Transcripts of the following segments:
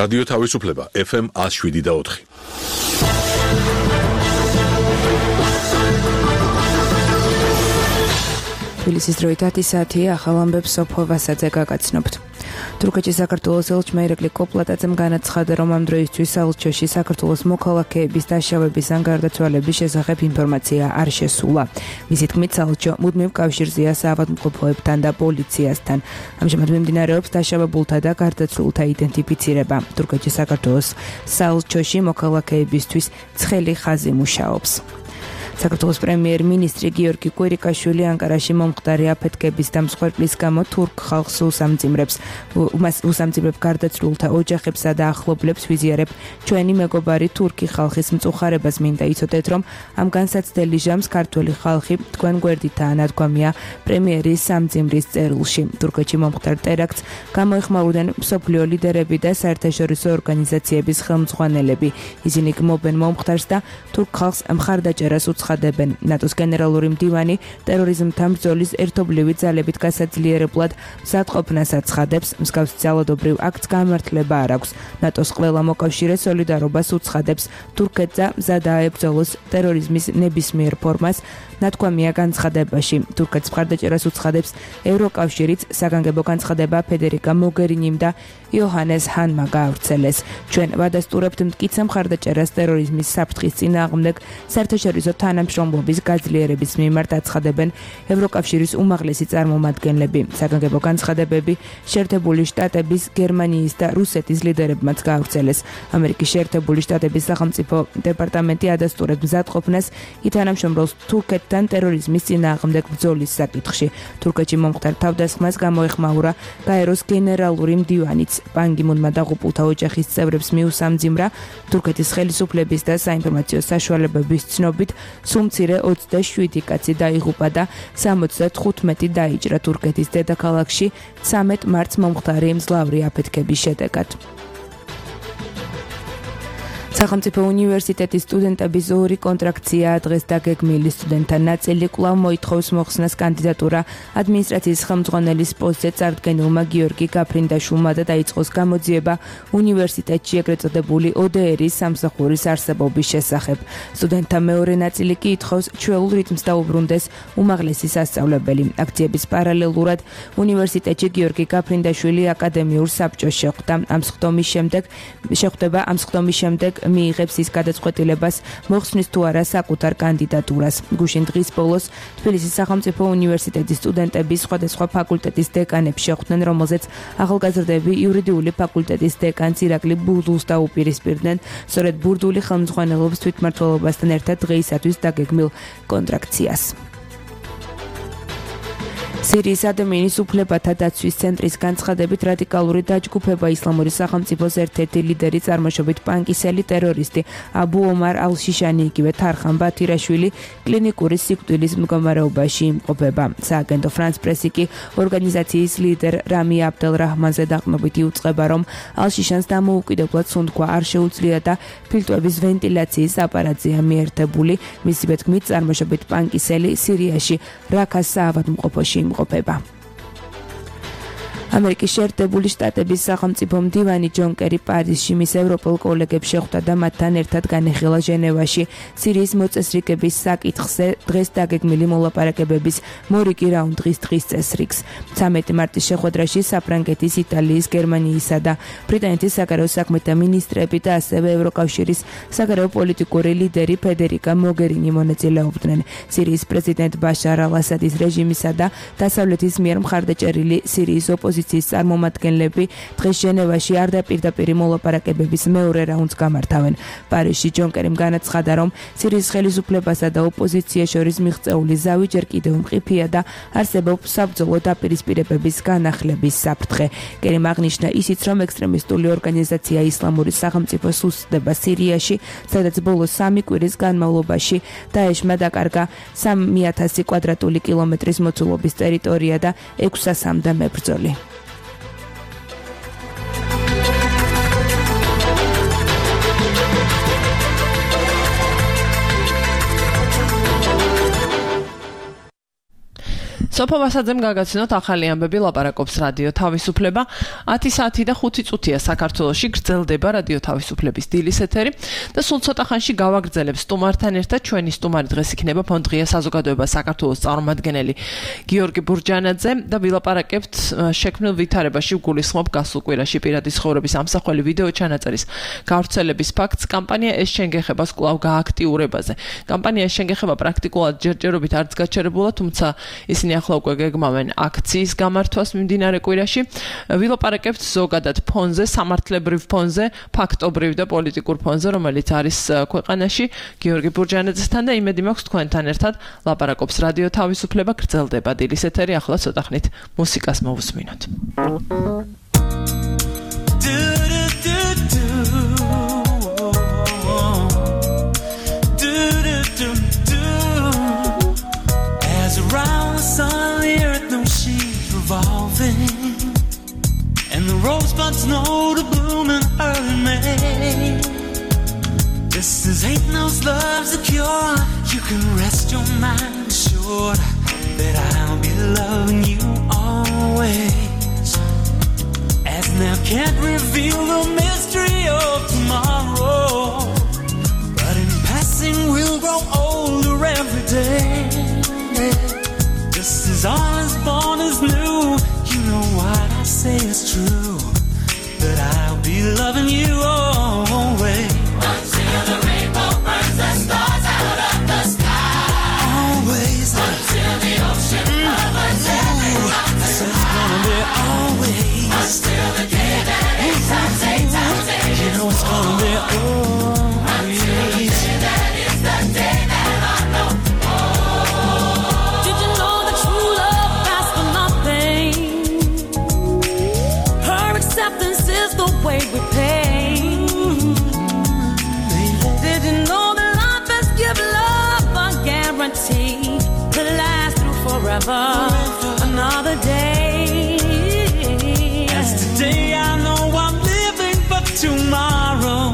რადიო თავისუფლება FM 107.4. თბილისის დროით 10 საათია, ახალ ამბებს სოფო ვასაძე გაგაცნობთ. თურქეთში საქართველოს ელჩმა ირაკლი კოპლატაძემ განაცხადა, რომ ამ დროისთვის საელჩოში საქართველოს მოქალაქეების დაშავების ან გარდაცვალების შესახებ ინფორმაცია არ შესულა. მისი თქმით, საელჩო მუდმივ კავშირზეა საავადმყოფოებთან და პოლიციასთან. ამჟამად მიმდინარეობს დაშავებულთა და გარდაცვლილთა იდენტიფიცირება. თურქეთში საქართველოს საელჩოში მოქალაქეებისთვის ცხელი ხაზი მუშაობს. საქართველოს პრემიერ-მინისტრი გიორგი კვირიკაშვილი ანკარაში მომხდარი აფეთქების და მსხვერპლის გამო თურქ ხალხს უსამძიმრებ გარდაცვლილთა ოჯახებსა და ახლობლებს ვიზიარებ. ჩვენი მეგობარი თურქი ხალხის მწუხარებას მინდა იცოდეთ, რომ ამ განსაცდელი ჟამს ქართველი ხალხი თქვენ გვერდითაა ნადგომია პრემიერის სამძიმრის წერილში. თურქეთში მომხდარ ტერაქტს გამოეხმაურდნენ მსოფლიო ლიდერები და საერთაშორისო ორგანიზაციების ხელმძღვანელები. ისინი გმობენ მომხდარს და თურქ ხალხს მხარდაჭერას უცხადებენ. ნატოს გენერალური მდივანი ტერორიზმთან ბრძოლის ერთობლივი ძალებით გასაძლიერებლად მზადყოფნას აცხადებს. მსგავსი ძალადობრივ აქტს გამართლება არ აქვს. ნატოს ყველა მოკავშირე სოლიდარობას უცხადებს. თურქეთსა მზად აებრძოლოს ტერორიზმის ნებისმიერ ფორმას. ნათქვამია განცხადებაში. თურქეთს მხარდაჭერას უცხადებს ევროკავშირიც, საგანგებო განცხადება ფედერიკა მოგერინიმ და იოჰანეს ჰანმა გაავრცელეს. ჩვენ ვადასტურებთ მტკიცე მხარდაჭერას ტერორიზმის საფრთხის წინააღმდეგ საერთაშორისო თანამშრომლობის გაძლიერების მიმართ აცხადებენ ევროკავშირის უმაღლესი წარმომადგენლები. საგანგებო განცხადებები შეერთებული შტატების, გერმანიის და რუსეთის ლიდერებმაც გაავრცელეს. ამერიკის შეერთებული შტატების სახელმწიფო დეპარტამენტი ადასტურებს მზადყოფნას ითანამშრომლობს თურქეთთან ტერორიზმის წინააღმდეგ ბრძოლის საკითხში. თურქეთში მომხდარ თავდასხმას გამოეხმაურა გაეროს გენერალური მდივანიც. პან კი მუნმა დაღუპულთა ოჯახის წევრებს მიუსამძიმრა. თურქეთის ხელისუფლების და საინფორმაციო საშუალებების ცნობით სუმცირე 27 კაცი დაიღუპა და 75 დაიჭრა თურქეთის დედაქალაქში 13 მარტს მომხდარი მძლავრი აფეთქების შედეგად. სახელმწიფო უნივერსიტეტის სტუდენტების ორი კონტრაქცია დღეს დაგეგმილი. სტუდენტთა ნაწილი კვლავ მოითხოვს მოხსნას კანდიდატურა ადმინისტრაციის ხელმძღვანელის პოსტზე წარდგენილმა გიორგი გაფრინდაშვილმა და დაიწყოს გამოძიება უნივერსიტეტში ეგრეთ წოდებული ODR-ის სამსახურის არსებობის შესახებ. სტუდენტთა მეორე ნაწილი კი ითხოვს ჩვეულ რიტმს დაუბრუნდეს უმაღლესი სასწავლებელი. აქციების პარალელურად უნივერსიტეტში გიორგი გაფრინდაშვილი აკადემიურ საბჭოს შეხვდა. ამ სხდომის შემდეგ მიიღებს ის გადაწყვეტილებას, მოხსნის თუ არა საკუთარ კანდიდატურას. გუშინ დღის ბოლოს თბილისის სახელმწიფო უნივერსიტეტის სტუდენტები სხვადასხვა ფაკულტეტის დეკანებს შეხვდნენ, რომელზეც ახალგაზრდები იურიდიული ფაკულტეტის დეკანს ირაკლი ბურდულს დაუპირისპირდნენ. სწორედ ბურდული ხელმძღვანელობს თვითმმართველობასთან ერთად დღეისათვის დაგეგმილ კონტრაქციას. სირიის ადამიანის უფლებათა დაცვის ცენტრის განცხადებით რადიკალური დაჯგუფება ისლამური სახელმწიფოს ერთ-ერთი ლიდერი წარმოშობით პანკისელი ტერორისტი აბუ ომარ ალ-შიშანი იგივე თარხან ბათირაშვილი კლინიკური სიკვდილის მდგომარეობაში იმყოფება. სააგენტო ფრანს პრესი კი ორგანიზაციის ლიდერ რამი აბდელ რაჰმანზე დაყრდნობით იუწყება, რომ ალ-შიშანს დამოუკიდებლად სუნთქვა არ შეუძლია და ფილტვების ვენტილაციის აპარატზეა მიერთებული. მისივე თქმით, წარმოშობით პანკისელი სირიაში რაქას საავადმყოფოში იმყოფება. ამერიკის შეერთებული შტატების სახელმწიფო მდივანი ჯონ კერი პარიზში მის ევროპელ კოლეგებს შეხვდა და მათთან ერთად განეხილა ჟენევაში სირიის მოწესრიგების საკითხზე დღეს დაგეგმილი მოლაპარაკებების მორიგი რაუნდის დღის წესრიგს. 13 მარტის შეხვედრაში საფრანგეთის, იტალიის, გერმანიისა და ბრიტანეთის საგარეო საქმეთა მინისტრები და ასევე ევროკავშირის საგარეო პოლიტიკური ლიდერი ფედერიკა მოგერინი მონაწილეობდნენ. სირიის პრეზიდენტ ბაშარ ალ-ასადის რეჟიმისა და დასავლეთის მიერ მხარდაჭერილი სირიის ოპოზიციის წარმომადგენლები დღეს ჟენევაში არ დაპირდაპირი მოლაპარაკებების მეორე რაუნდს გამართავენ. პარიზში ჯონ კერიმ განაცხადა, რომ სირიის ხელისუფლებასა და ოპოზიციას შორის მიღწეული ზავი ჯერ კიდევ მყიფეა და არსებობს საბრძოლო დაპირისპირებების განახლების საფრთხე. კერიმ აღნიშნა ისიც, რომ ექსტრემისტული ორგანიზაცია ისლამური სახელმწიფო უსწრდება სირიაში, სადაც ბოლო 3 კვირის განმავლობაში დაეშმა დაკარგა 3000 კვადრატული კილომეტრის მოცულობის ტერიტორია და 600-მდე მებრძოლი. სოფო ვასაძემ გაგაცნოთ ახალი ამბები ლაპარაკობს რადიო თავისუფლება 10 საათი და 5 წუთია საქართველოში გრძელდება რადიო თავისუფლების დილის ეთერი და სულ ცოტა ხანში გავაგრძელებს სტუმართან ერთად ჩვენი სტუმარი დღეს იქნება ფონდ ღია საზოგადოება საქართველოს წარმომადგენელი გიორგი ბურჯანაძე და ვილაპარაკებთ შექმნილ ვითარებაში გულისხმობ გასულ კვირაში პირადი ცხოვრების ამსახველი ვიდეო ჩანაწერის გავრცელების ფაქტს კამპანია ეს შენგეხებას კვლავ გააქტიურებაზე კამპანია ეს შენგეხება პრაქტიკულად ჯერჯერობით არც გაჩერებულა თუმცა ისინი ახლა უკვე გეგმავენ აქციის გამართვას მიმდინარე კვირაში ვილაპარაკებთ ზოგადად ფონზე სამართლებრივ ფონზე ფაქტობრივ და პოლიტიკურ ფონზე რომელიც არის ქვეყანაში გიორგი ბურჯანაძესთან და იმედი მაქვს თქვენთან ერთად ლაპარაკობს რადიო თავისუფლება გრძელდება დილის ეთერი ახლა ცოტა ხნით მუსიკას მოვუსმინოთ Around the sun, the earth knows she's revolving, and the rosebuds know to bloom in early May. Just as ain't no love's a cure, you can rest your mind assured that I'll be loving you always. As now can't reveal the mystery of tomorrow, but in passing we'll grow older every day. Just as all is born is new, you know what I say is true, that I'll be loving you always. Until the rainbow burns the stars out of the sky. Always. Until the ocean covers every mountain. So it's gonna be always. Until the day that 8 times 8 times 8 you know it's gonna be always. Until the day that is the day that I know. Way we pay. Did you know that life has given love a guarantee to last through forever? Another day. As today I know I'm living for tomorrow.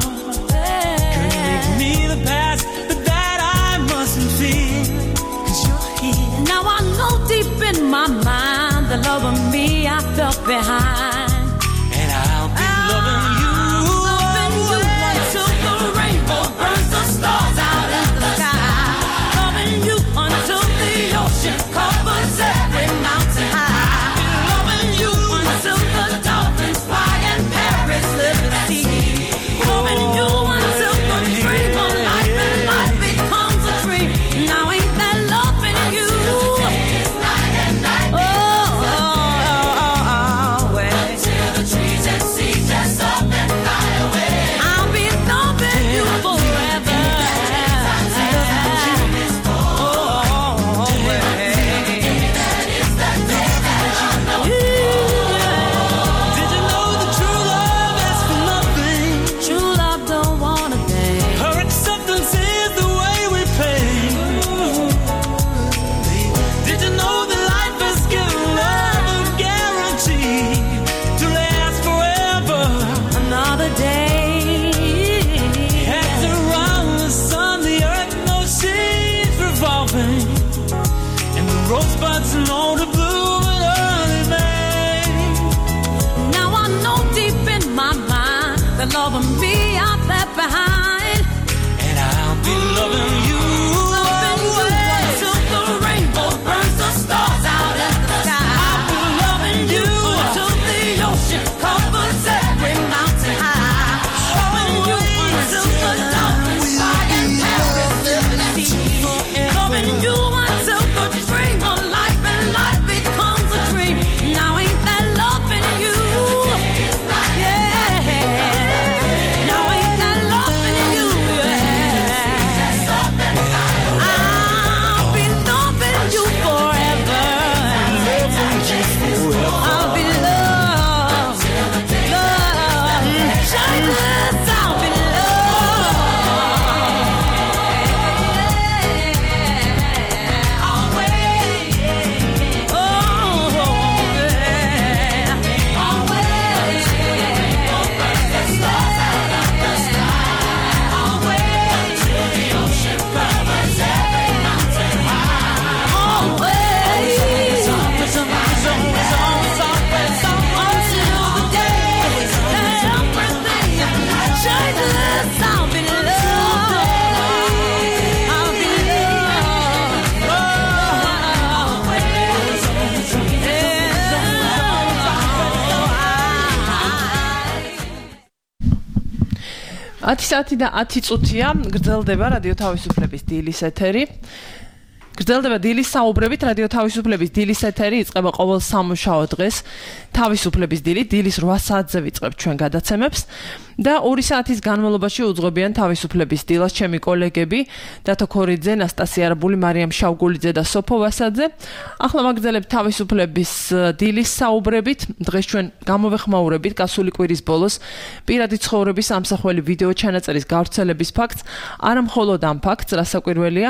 Could make me the past, but that I mustn't fear. 'Cause you're here. Now I know deep in my mind the love of me I felt behind. Loving you until the rainbow burns the stars out in the sky. Loving you until the ocean covers every mountain high. Loving you until the dolphins fly and parrots live at sea. Loving you until the dream of life and life becomes a dream. Now ain't that loving you? It's night and night. Until the trees and seas just up and fly away. I'll be loving you forever. Did you know that true love asks for nothing? True love don't want a thing. Her acceptance is the way we pay. Did you know that life has given love a guarantee to last forever? Another day. As around the sun, the earth knows she's revolving, and the rosebuds know to bloom in early May. Now I know deep in my mind the love of me I left behind, and I'll be loving you. Loving you until the rainbow burns the stars out in the sky. I'll be loving you until the ocean covers every mountain high. Loving you until the dolphins fly and parrots live at sea. Loving you until the dream of life and life becomes a dream. Now ain't that loving you? Yeah. Now ain't that loving you? Yeah. 10 საათი და 10 წუთია გრძელდება რადიო თავისუფლების დილის ეთერი. გრძელდება დილის საუბრებით რადიო თავისუფლების დილის ეთერი იწყება ყოველ სამუშაო დღეს თავისუფლების დილის 8 საათზე ვიწყებთ ჩვენ გადაცემებს და 2 საათის განმავლობაში უძღვებიან თავისუფლების დილას ჩემი კოლეგები დათო ქორიძე, ნასტასია არაბული, მარიამ შავგულიძე და სოფო ვასაძე. ახლა ვაგრძელებთ თავისუფლების დილის საუბრებით. დღეს ჩვენ გამოვეხმაურებით გასული კვირის ბოლოს პირადი ცხოვრების ამსახველი ვიდეო ჩანაწერის გავრცელების ფაქტს, არა მხოლოდ ამ ფაქტს, რასაკვირველია,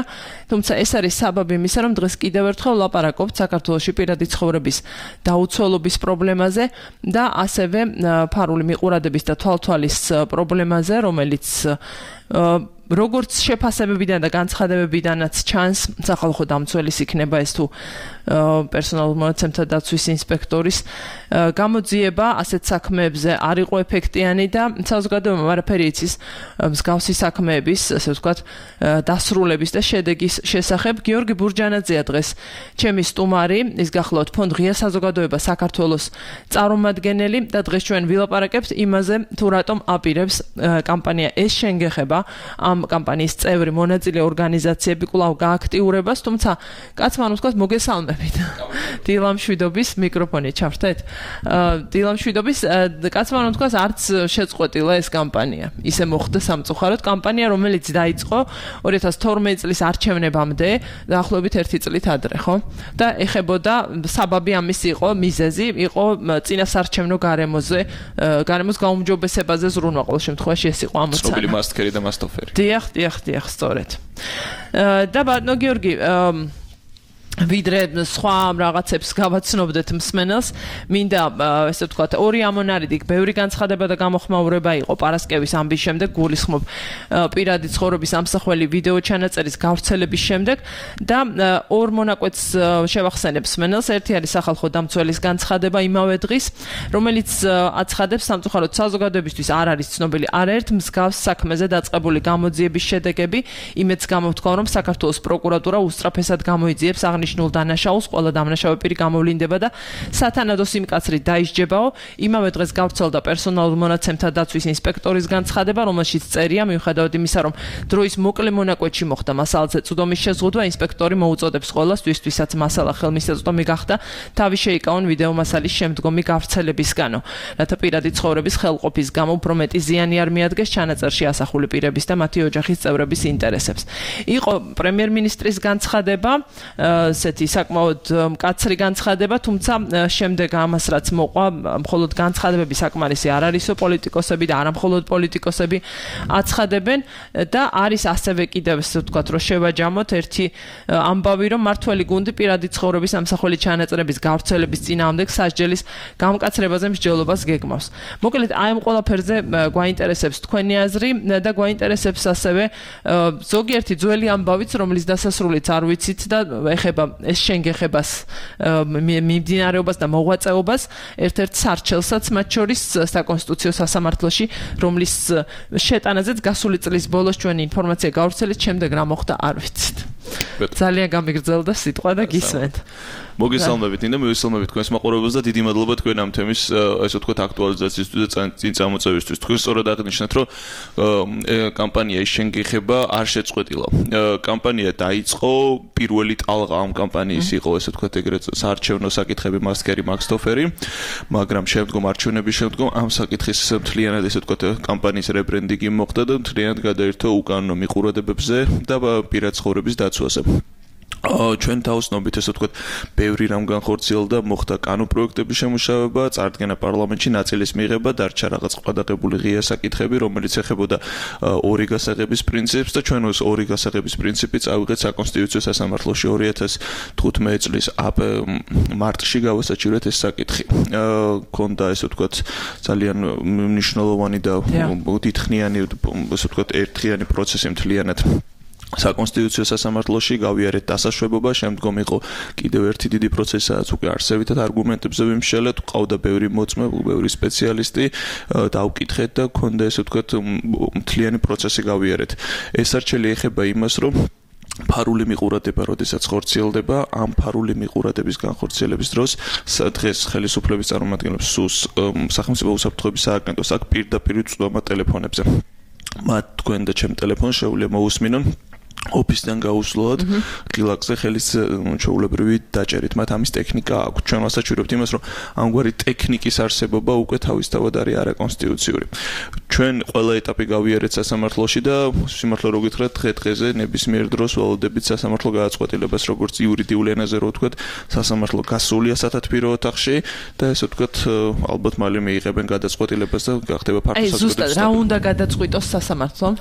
თუმცა ეს არის საბაბი იმისა, რომ დღეს კიდევ ერთხელ ვლაპარაკობთ საქართველოში პირადი ცხოვრების დაუცველობის პრობლემაზე და ასევე ფარული მიყურადების და თვალთვალის პრობლემაზე, რომელიც როგორც შეფასებებიდან და განცხადებებიდანაც ჩანს, სახალხო დამცველის იქნება ეს თუ პერსონალურ მონაცემთა დაცვის ინსპექტორის გამოძიება ასეთ საქმეებზე არ იყო ეფექტიანი და საზოგადოებამ არაფერი იცის მსგავსი საქმეების, ასე ვთქვათ, დასრულების და შედეგის შესახებ. გიორგი ბურჯანაძეა დღეს ჩემი სტუმარი, ის გახლავთ ფონდ ღია საზოგადოება საქართველოს წარმომადგენელი და დღეს ჩვენ ვილაპარაკებთ იმაზე, თუ რატომ აპირებს კამპანია ეს შენგეხება ამ კამპანიის წევრი მონაწილე ორგანიზაციები კვლავ გააქტიურებას, თუმცა კაცმა ვთქვათ მოგესალმებით. დილამშვიდობის მიკროფონი ჩავრთეთ. დილამშვიდობის კაცმა ვთქვათ არც შეწყვეტილა ეს კამპანია. ისე მოხდა სამწუხაროდ კამპანია, რომელიც დაიწყო 2012 წლის არჩევნებამდე, დაახლოებით 1 წლით ადრე, ხო? და ეხებოდა საბაბი ამის იყო, მიზეზი იყო წინასარჩევნო გარემოს გაუმჯობესებაზე ზრუნვა. ყოველ შემთხვევაში ეს იყო ამოცანა. ცნობილი მასტკერი და მასტოფერი. დიახ, სწორედ. და ბატონო გიორგი, ვიდრე სხვა რაღაცებს გავაცნობდეთ მსმენელს, მინდა ესე ვთქვათ, ორი ამონარიდი, ბევრი განცხადება და გამოხმაურება იყო პარასკევის ამბის შემდეგ, გულისხმობ პირადი ცხოვრების ამსახველი ვიდეო ჩანაწერის გავრცელების შემდეგ და ორ მონაკვეთს შევახსენებ მსმენელს. ერთი არის სახალხო დამცველის განცხადება იმავე დღის, რომელიც აცხადებს სამწუხაროდ საზოგადოებისთვის არ არის ცნობილი არაერთ მსგავს საქმეზე დაწყებული გამოძიების შედეგები, იმედს გამოთქვა, რომ საქართველოს პროკურატურა უსწრაფესად გამოიძიებს აღნიშნულ დანაშაულს, ყველა დამნაშავე პირი გამოვლინდება და სათანადო სიმკაცრით დაისჯებაო. იმავე დღეს გავრცელდა პერსონალურ მონაცემთა დაცვის ინსპექტორის განცხადება, რომელშიც წერია, მიუხედავად იმისა, რომ დროის მოკლე მონაკვეთში მოხდა მასალაზე წვდომის შეზღუდვა, ინსპექტორი მოუწოდებს ყველას, ვისაც მასალა ხელმისაწვდომი გახდა, თავი შეიკავონ ვიდეო მასალის შემდგომი გავრცელებისგანო, რათა პირადი ცხოვრების ხელყოფის გამო უფრო მეტი ზიანი არ მიადგეს ჩანაწერში ასახული პირების და მათი ოჯახის წევრების ინტერესებს. იყო პრემიერ-მინისტრის განცხადება, ესეთი საკმაოდ მკაცრი განცხადება, თუმცა შემდეგ ამას რაც მოყვა, მხოლოდ განცხადებები საკმარისი არ არისო, პოლიტიკოსები და არა მხოლოდ პოლიტიკოსები აცხადებენ და არის ასევე კიდევ ესე ვთქვათ, რომ შევაჯამოთ ერთი ამბავი, რომ მართველი გუნდი პირადი ცხოვრების ამსახველი ჩანაწერების გავრცელების წინააღმდეგ სასჯელის გამკაცრებაზე მსჯელობას გეგმავს. მოკლედ, აი ამ ყველაფერზე გვაინტერესებს თქვენი აზრი და გვაინტერესებს ასევე ზოგიერთი ძველი ამბავიც, რომლის დასასრულიც არ ვიცით და ეხება ეს შენგეხებას მიმდინარეობას და მოღვაწეობას ერთ-ერთ სარჩელსაც მათ შორის საკონსტიტუციო სასამართლოში, რომლის შეტანაზეც გასული წლის ბოლოს ჩვენი ინფორმაცია გავრცელეთ, შემდეგ რა მოხდა არ ვიცით. ძალიან გამიგრძელდა სიტყვა და გისმენთ. მოგესალმებით და მივესალმებით თქვენს მაყურებელს და დიდი მადლობა თქვენ ამ თემის ასე ვთქვათ აქტუალიზაციისთვის და წინ წამოწევისთვის. თქვენ სწორად აღნიშნეთ, რომ კამპანია ის შენგეხება არ შეწყვეტილა. კამპანია დაიწყო, პირველი ტალღა ამ კამპანიის იყო ესე ვთქვათ ეგრეთ საარჩევნო საკითხები მასტკერი მაქსტოფერი, მაგრამ შემდგომ არჩევნების შემდგომ ამ საკითხის მთლიანად ესე ვთქვათ კამპანიის რებრენდინგი მოხდა და მთლიანად გადაირთო უკანონო მიყურებებზე და პირად ცხოვრების დაცვაზე. ჩვენ თავსნობით ესე ვთქვათ, ბევრი რამ განხორციელდა, მოხდა კანონპროექტების შემუშავება, წარდგენა პარლამენტში, ნაწილის მიღება, დარჩა რაღაც ყადაღებული ღია საკითხები, რომელიც ეხებოდა ორი გასაღების პრინციპს და ჩვენ ეს ორი გასაღების პრინციპი წავიღეთ საკონსტიტუციო სასამართლოში 2015 წლის მარტში გავასაჩივრეთ ეს საკითხი. ქონდა ესე ვთქვათ ძალიან მნიშვნელოვანი და დიდხნიანი ესე ვთქვათ ერთხიანი პროცესი მთლიანად საკონსტიტუციო სასამართლოში, გავიარეთ დასაშვებობა, შემდგომ იყო კიდევ ერთი დიდი პროცესი, სადაც უკვე არსებითად არგუმენტებზე ვიმსჯელეთ, ყავდა ბევრი მოწმე, ბევრი სპეციალისტი, დავკითხეთ და ქონდა ესე ვთქვათ მთლიანი პროცესი გავიარეთ. ეს არჩელი ეხება იმას, რომ ფარული მიყურადება, როდესაც ხორციელდება, ამ ფარული მიყურადების განხორციელების დროს დღეს ხელისუფლების წარმომადგენლებს სულს სახელმწიფო უსაფრთხოების სააგენტოს აქვს პირდაპირ წვდომა ტელეფონებზე. მათ თქვენ და ჩემ ტელეფონს შეუძლია მოусმინონ ოფისიდან გაუსვლოთ ღილაკზე ხელის ჩვეულებრივი დაჭერით მათ ამის ტექნიკა აქვს ჩვენ ვასაჩვენებთ იმას რომ ამგვარი ტექნიკის არსებობა უკვე თავისთავად არის არაკონსტიტუციური ჩვენ ყველა ეტაპი გავიარეთ სასამართლოში და სიმართლე რო გითხრათ დღე-დღეზე ნებისმიერ დროს ველოდებით სასამართლო გადაწყვეტილებას როგორც იურიდიული ენაზე რო ვთქვათ სასამართლო გასულია სათათბირო ოთახში და ესე ვთქვათ ალბათ მალე მიიღებენ გადაწყვეტილებას და გახდება ფართო აი ზუსტად რა უნდა გადაწყვიტოს სასამართლომ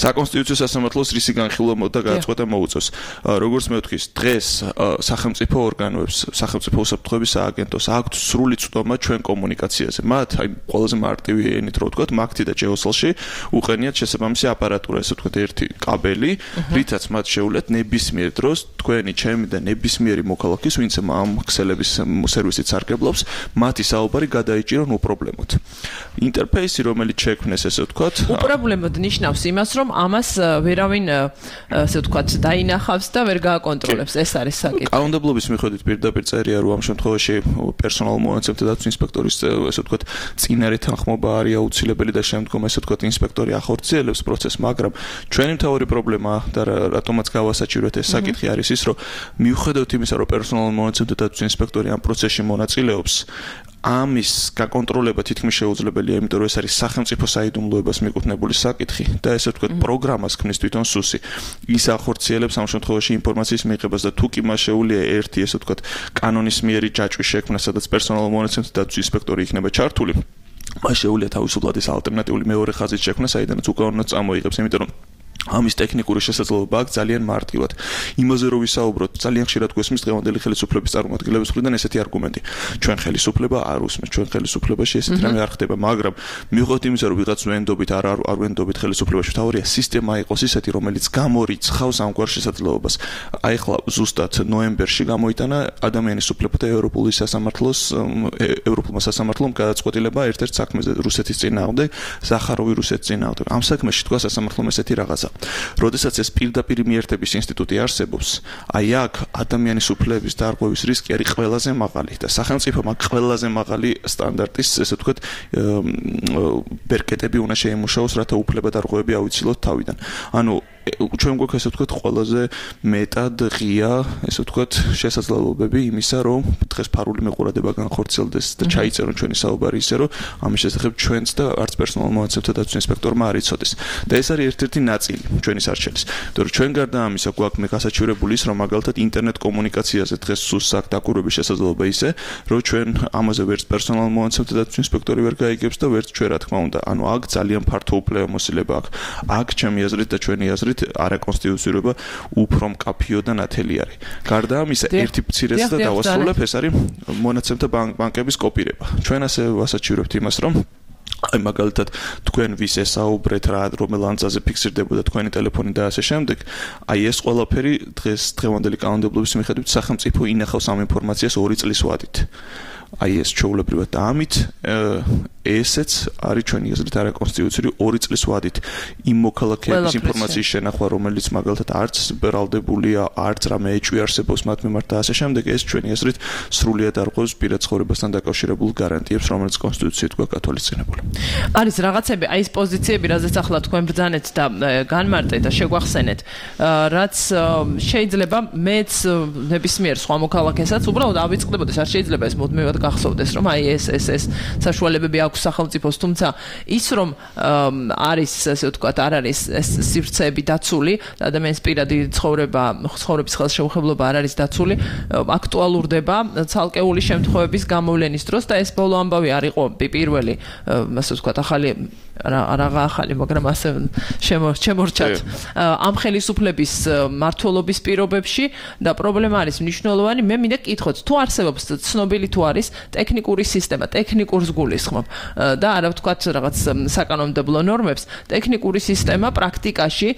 საკონსტიტუციო სასამართლოს განხილვა და გადაწყვეტა მოუწევს. როგორც მე ვთქვის, დღეს სახელმწიფო ორგანოებს, სახელმწიფო უსაფრთხოების სააგენტოს აქვთ სრული წვდომა ჩვენ კომუნიკაციაზე. მათ აი ყველაზე მარტივი ენით რო ვთქვათ, მაგთი და ჯეოსელში უყენიათ შესაბამისი აპარატურა, ესე ვთქვათ, ერთი კაბელი, რითაც მათ შეუძლიათ ნებისმიერ დროს თქვენი, ჩემი და ნებისმიერი მოქალაქის, ვინც ამ ქსელების სერვისით სარგებლობს, მათი საუბარი გადაიჭირონ უპრობლემოდ. ინტერფეისი, რომელიც შექმნეს, ესე ვთქვათ, უპრობლემოდ ნიშნავს იმას, რომ ამას ვერავინ ასე ვთქვათ დაინახავს და ვერ გააკონტროლებს ეს არის საკითხი. კანონმდებლობის მიხედვით პირდაპირ წერია რომ ამ შემთხვევაში პერსონალურ მონაცემთა დაცვის ინსპექტორის ასე ვთქვათ წინარე თანხმობა არის აუცილებელი და შემდგომ ასე ვთქვათ ინსპექტორი ახორციელებს პროცესს, მაგრამ ჩვენი მთავარი პრობლემა და რატომაც გავასაჭიროთ ეს საკითხი არის ის რომ მიუხედავად იმისა რომ პერსონალურ მონაცემთა დაცვის ინსპექტორი ამ პროცესში მონაწილეობს ამის გაკონტროლება თითქმის შეუძლებელია, იმიტომ რომ ეს არის სახელმწიფო საიდუმლოებას მიკუთვნებული საკითხი და ესე ვთქვათ პროგრამას ქმნის თვითონ სუსი. ის ახორციელებს ამ შემთხვევაში ინფორმაციის მიღებას და თუ კი მას შეუძლია ერთი ესე ვთქვათ კანონისმიერი ჯაჭვის შექმნა, სადაც პერსონალურ მონაცემთა დაცვის ინსპექტორი იქნება ჩართული, მას შეუძლია თავისუფლად ეს ალტერნატიული მეორე ხაზის შექმნა, საიდანაც უკანონოდ წამოიღებს, იმიტომ რომ ამის ტექნიკური შესაძლებლობა აქვს ძალიან მარტივად. იმაზე რომ ვისაუბროთ, ძალიან ხშირად გვესმის დღევანდელი ხელისუფლების წარმომადგენლების მხრიდან ესეთი არგუმენტი. ჩვენ ხელისუფლება არ უსმენთ, ჩვენ ხელისუფლებაში ესეთი რამე არ ხდება, მაგრამ მიუხედავად იმისა, რომ ვიღაც ვენდობით, არ ვენდობით ხელისუფლებაში, თავარია სისტემა იყოს ისეთი, რომელიც გამორიცხავს ამგვარ შესაძლებლობას. აი ხლა ზუსტად ნოემბერში გამოიტანა ადამიანის უფლებათა ევროპულმა სასამართლომ გადაწყვეტილება ერთ-ერთ საქმეზე რუსეთის წინააღმდეგ, ზახაროვი რუსეთის წინააღმდეგ. ამ საქმეში თქვა სასამართლომ ესეთი რაღაცა. როდესაც ეს პირდაპირ მიერთების ინსტიტუტი არსებობს, აი აქ ადამიანის უფლებების დარღვევის რისკი არის ყველაზე მაღალი და სახელმწიფომ აქ ყველაზე მაღალი სტანდარტის, ესე ვთქვათ, ბერკეტები უნდა შეიმუშაოს, რათა უფლება დარღვევები ავიცილოთ თავიდან. ანუ ჩვენ გვაქვს ესე ვთქვათ ყველაზე მეტად ღია, ესე ვთქვათ, შესაძლებლობები იმისა, რომ დღეს ფარული მეყურადება განხორციელდეს და ჩაიწერონ ჩვენი საუბარი ისე, რომ ამის შესახებ ჩვენც და არც პერსონალურ მონაცემთა დაცვის ინსპექტორმა არ იცოდეს. და ეს არის ერთ-ერთი ნაწილი ჩვენი სარჩელის. იმიტომ რომ ჩვენ გარდა ამისა გვაქვს მეგასაჩივრებული ის, რომ მაგალითად ინტერნეტ კომუნიკაციაზე დღეს სუსს აქვს დაკვირვების შესაძლებლობა ისე, რომ ჩვენ ამაზე ვერც პერსონალურ მონაცემთა დაცვის ინსპექტორი ვერ გაიგებს და ვერც ჩვენ, რა თქმა უნდა. ანუ აქ ძალიან ფართო უფლებამოსილება აქვს. აქ ჩემი აზრით და ჩვენი აზრით არაკონსტიტუციურობა უფრო მკაფიო და ნათელი არის. გარდა ამისა, ერთი მცირეც და დავასრულებ, ეს არის მონაცემთა ბანკების კოპირება. ჩვენ ასე ვასაჩივრებთ იმას, რომ აი მაგალითად თქვენ ვის ესაუბრეთ რა რომელ ანძაზე ფიქსირდებოდა თქვენი ტელეფონი და ასე შემდეგ, აი ეს ყველაფერი დღევანდელი კანონმდებლობის მიხედვით სახელმწიფო ინახავს ამ ინფორმაციას 2 წლის ვადით. აი ეს ჩვეულებრივად და ამით ესეც არის ჩვენი აზრით არაკონსტიტუციური 2 წლის ვადით იმ მოქალაქეების ინფორმაციის შენახვა, რომელიც მაგალითად არც ბრალდებულია, არც რამე ეჭვი არსებობს მათ მიმართ და ასე შემდეგ, ეს ჩვენი აზრით სრულიად არღვევს პირად ცხოვრებასთან დაკავშირებულ გარანტიებს, რომელიც კონსტიტუციით გვაქვს გათვალისწინებული. არის რაღაცები, აი ეს პოზიციები, რაზეც ახლა თქვენ ბრძანეთ და განმარტეთ და შეგვახსენეთ, რაც შეიძლება მეც ნებისმიერ სხვა მოქალაქესაც უბრალოდ ავიწყდებოდეს, არ შეიძლება ეს მუდმივად გახსოვდეს, რომ აი ეს საშუალებები აქვს სახელმწიფოს, თუმცა ის რომ არის, ასე ვთქვათ, არ არის ეს სივრცეები დაცული, ადამიანის პირადი ცხოვრების ხელშეუხებლობა არ არის დაცული, აქტუალურდება ცალკეული შემთხვევების გამოვლენის დროს და ეს ბოლო ამბავი არ იყო პირველი, ასე ვთქვათ, ახალი რაღა ახალი, მაგრამ ასე შემორჩათ ამ ხელისუფლების მართლობის პირობებში და პრობლემა არის მნიშვნელოვანი. მე მინდა გკითხოთ, თუ არსებობს ცნობილი თუ არის ტექნიკური სისტემა, ტექნიკურს გულისხმობ და არა ვთქვათ რაღაც საკანონმდებლო ნორმებს, ტექნიკური სისტემა პრაქტიკაში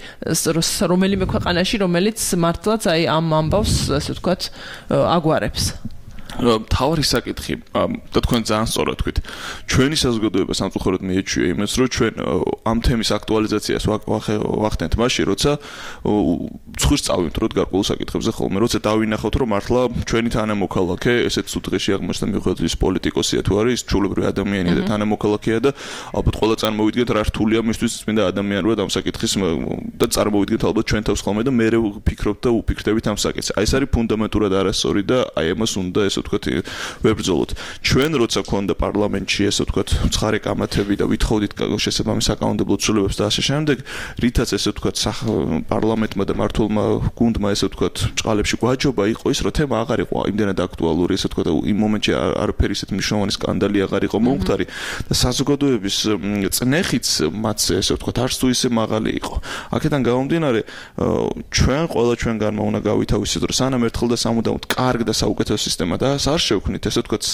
რომელიმე ქვეყანაში, რომელიც მართლაც აი ამ ამბავს, ასე ვთქვათ, აგვარებს. თავი საკითხი და თქვენ ძალიან სწორად თქვით. ჩვენი საზოგადოება სამწუხაროდ მიეჩვია იმას, რომ ჩვენ ამ თემის აქტუალიზაციას ვახდენთ მაშინ, როცა ცხვირს წავიმტროთ გარკვეულ საკითხებზე ხოლმე, როცა დავინახავთ, რომ მართლა ჩვენი თანამოქალაქე ესეთ სუდღეში აღმოჩნდა მიუხედავად ის პოლიტიკოსია თუ არის, ჩვეულებრივი ადამიანია და თანამოქალაქეა და ალბათ ყველა წარმოვიდგეთ რა რთულია მისთვის წმინდა ადამიანურად ამ საკითხის და წარმოვიდგეთ ალბათ ჩვენ თავს ხოლმე და მე ვფიქრობ და ვფიქრდებით ამ საკითხს. აი ეს არის ფუნდამენტურად არასწორი და აი ამას უნდა ესე ვთქვათ ვებრძოლოთ. ჩვენ როცა გქონდა პარლამენტში ესე ვთქვათ ცხარე კამათები და ვითხოვდით შესაბამის საკანონმდებლო ცვლილებებს და ასე შემდეგ, რითაც ესე ვთქვათ პარლამენტმა და მართლმა გუნდმა ესე ვთქვათ ჭყალებში გვაჯობა იყო ის, რომ თემა აღარ იყო იმდენად აქტუალური, ესე ვთქვათ იმ მომენტში არაფერი ისეთ მნიშვნელოვანი სკანდალი აღარ იყო მომხდარი და საზოგადოების წნეხიც მათ ესე ვთქვათ არც თუ ისე მაღალი იყო. აქედან გამომდინარე ჩვენ ყველა ჩვენგანმა უნდა გავითავისოთ, რომ სანამ ერთხელ და სამუდამოდ კარგ და საუკეთესო სისტემა და არ შევქმნით, ესე ვთქვათ,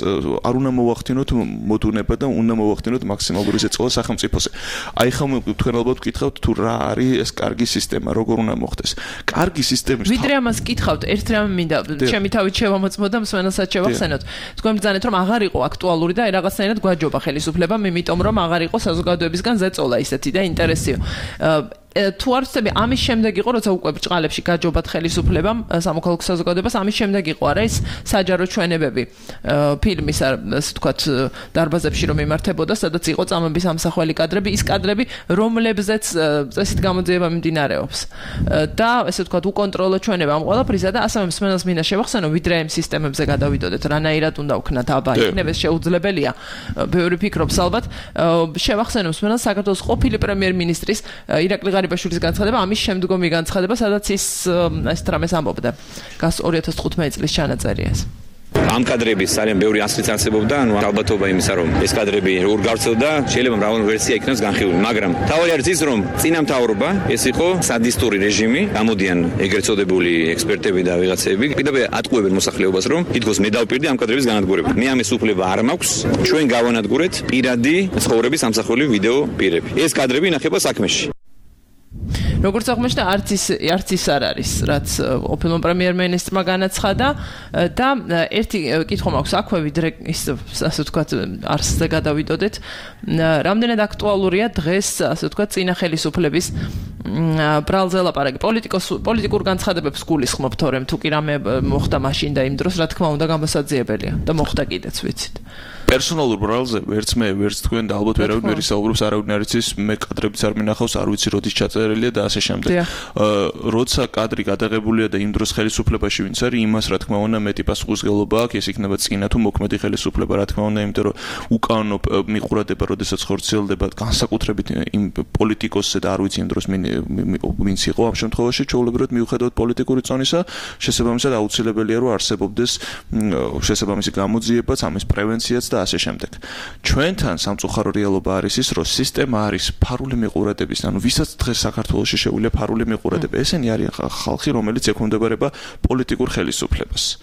არ უნდა მოვახდინოთ მოდუნება და უნდა მოვახდინოთ მაქსიმალური ზეწოლა სახელმწიფოზე. აი ხომ თქვენ ალბათ გკითხავთ თუ რა არის ეს კარგი სისტემა, როგორ უნდა მოხდეს. კარგი სისტემის ვიდრე ამას გკითხავთ, ერთ რამ მინდა ჩემი თავით შევამოწმო და მსმენელსაც შევახსენოთ. თქვენ ბრძანეთ რომ აღარ იყო აქტუალური და რაღაცნაირად გვაჯობა ხელისუფლებამ, იმიტომ რომ აღარ იყო საზოგადოებისგან ზეწოლა ისეთი და ინტერესიო. თუ არ ვცდები, ამის შემდეგ იყო, როცა უკვე ბრჭყალებში გაჯობათ ხელისუფლებამ სამოქალაქო საზოგადოებას, ამის შემდეგ იყო არა ის საჯარო ჩვენებები ფილმის, ასე ვთქვათ, დარბაზებში რომ იმართებოდა, სადაც იყო წამების ამსახველი კადრები, ის კადრები, რომლებზეც წესით გამოძიება მიმდინარეობს. და ასე ვთქვათ, უკონტროლო ჩვენება ამ ყველაფრისა და ასევე მსმენელს მინდა შევახსენო, ვიდრე ამ სისტემებზე გადავიდოდეთ, რანაირად უნდა ვქნათ აბა, იქნებ ეს შეუძლებელია. ბევრი ფიქრობს ალბათ, შევახსენო მსმენელს საქართველოს ყოფილი პრემიერ-მინისტრის ირაკლი ღარიბაშვილის განცხადება, ამის შემდგომი განცხადება, სადაც ის ეს რამეს ამბობდა. გას 2015 წლის ჩანაწერია ეს. ამ კადრების ძალიან ბევრი ასლიც არსებობდა, ანუ ალბათობა იმისა, რომ ეს კადრები როგორ გავრცელდა, შეიძლება მრავალი ვერსია იქნას განხილული, მაგრამ თავი არის ის, რომ წინამთავრობა ეს იყო სადისტური რეჟიმი, გამოდიან ეგრეთ წოდებული ექსპერტები და ვიღაცები, კიდევ ატყუებენ მოსახლეობას, რომ თითქოს მე დავპირდი ამ კადრების განადგურება. მე ამის უფლება არ მაქვს, ჩვენ გავანადგურეთ პირადი ცხოვრების ამსახველი ვიდეო პირები. ეს კადრები ინახება საქმეში. როგორც აღმოჩნდა, არც ის არ არის, რაც ყოფილმა პრემიერ-მინისტრმა განაცხადა და ერთი კითხვა მაქვს აქვე, ვიდრე ის ასე ვთქვათ, არსზე გადავიდოდეთ, რამდენად აქტუალურია დღეს, ასე ვთქვათ, წინა ხელისუფლების ბრალზე ლაპარაკი, პოლიტიკურ განცხადებებს გულისხმობ, თორემ თუ კი რამე მოხდა მაშინ და იმ დროს, რა თქმა უნდა, გამოსაძიებელია და მოხდა კიდეც, ვიცით. პერსონალურ ბრალზე ვერც მე, ვერც თქვენ და ალბათ ვერავინ ვერ ისაუბრობს, არავინ არ იცის, მე კადრებიც არ მინახავს, არ ვიცი როდის ჩაწერილია და ასე შემდეგ. როცა კადრი გადაღებულია და იმ დროს ხელისუფლებაში ვინც არის, იმას რა თქმა უნდა მეტი პასუხისმგებლობა აქვს, ეს იქნება წინა თუ მოქმედი ხელისუფლება, რა თქმა უნდა, იმიტომ რომ უკანონო მიყურადება, როდესაც ხორციელდება განსაკუთრებით იმ პოლიტიკოსზე და არ ვიცი იმ დროს ვინც იყო ამ შემთხვევაში, ჩვეულებრივად მიუხედავად პოლიტიკური წონისა, შესაბამისად აუცილებელია რომ არსებობდეს შესაბამისი გამოძიებაც, ამის პრევენციაც და ასე შემდეგ. ჩვენთან სამწუხარო რეალობა არის ის, რომ სისტემა არის ფარული მიყურადების, ანუ ვისაც დღეს საქართველოში შეუძლია ფარული მიყურადება. ესენი არის ხალხი, რომელიც ექვემდებარება პოლიტიკურ ხელისუფლებას.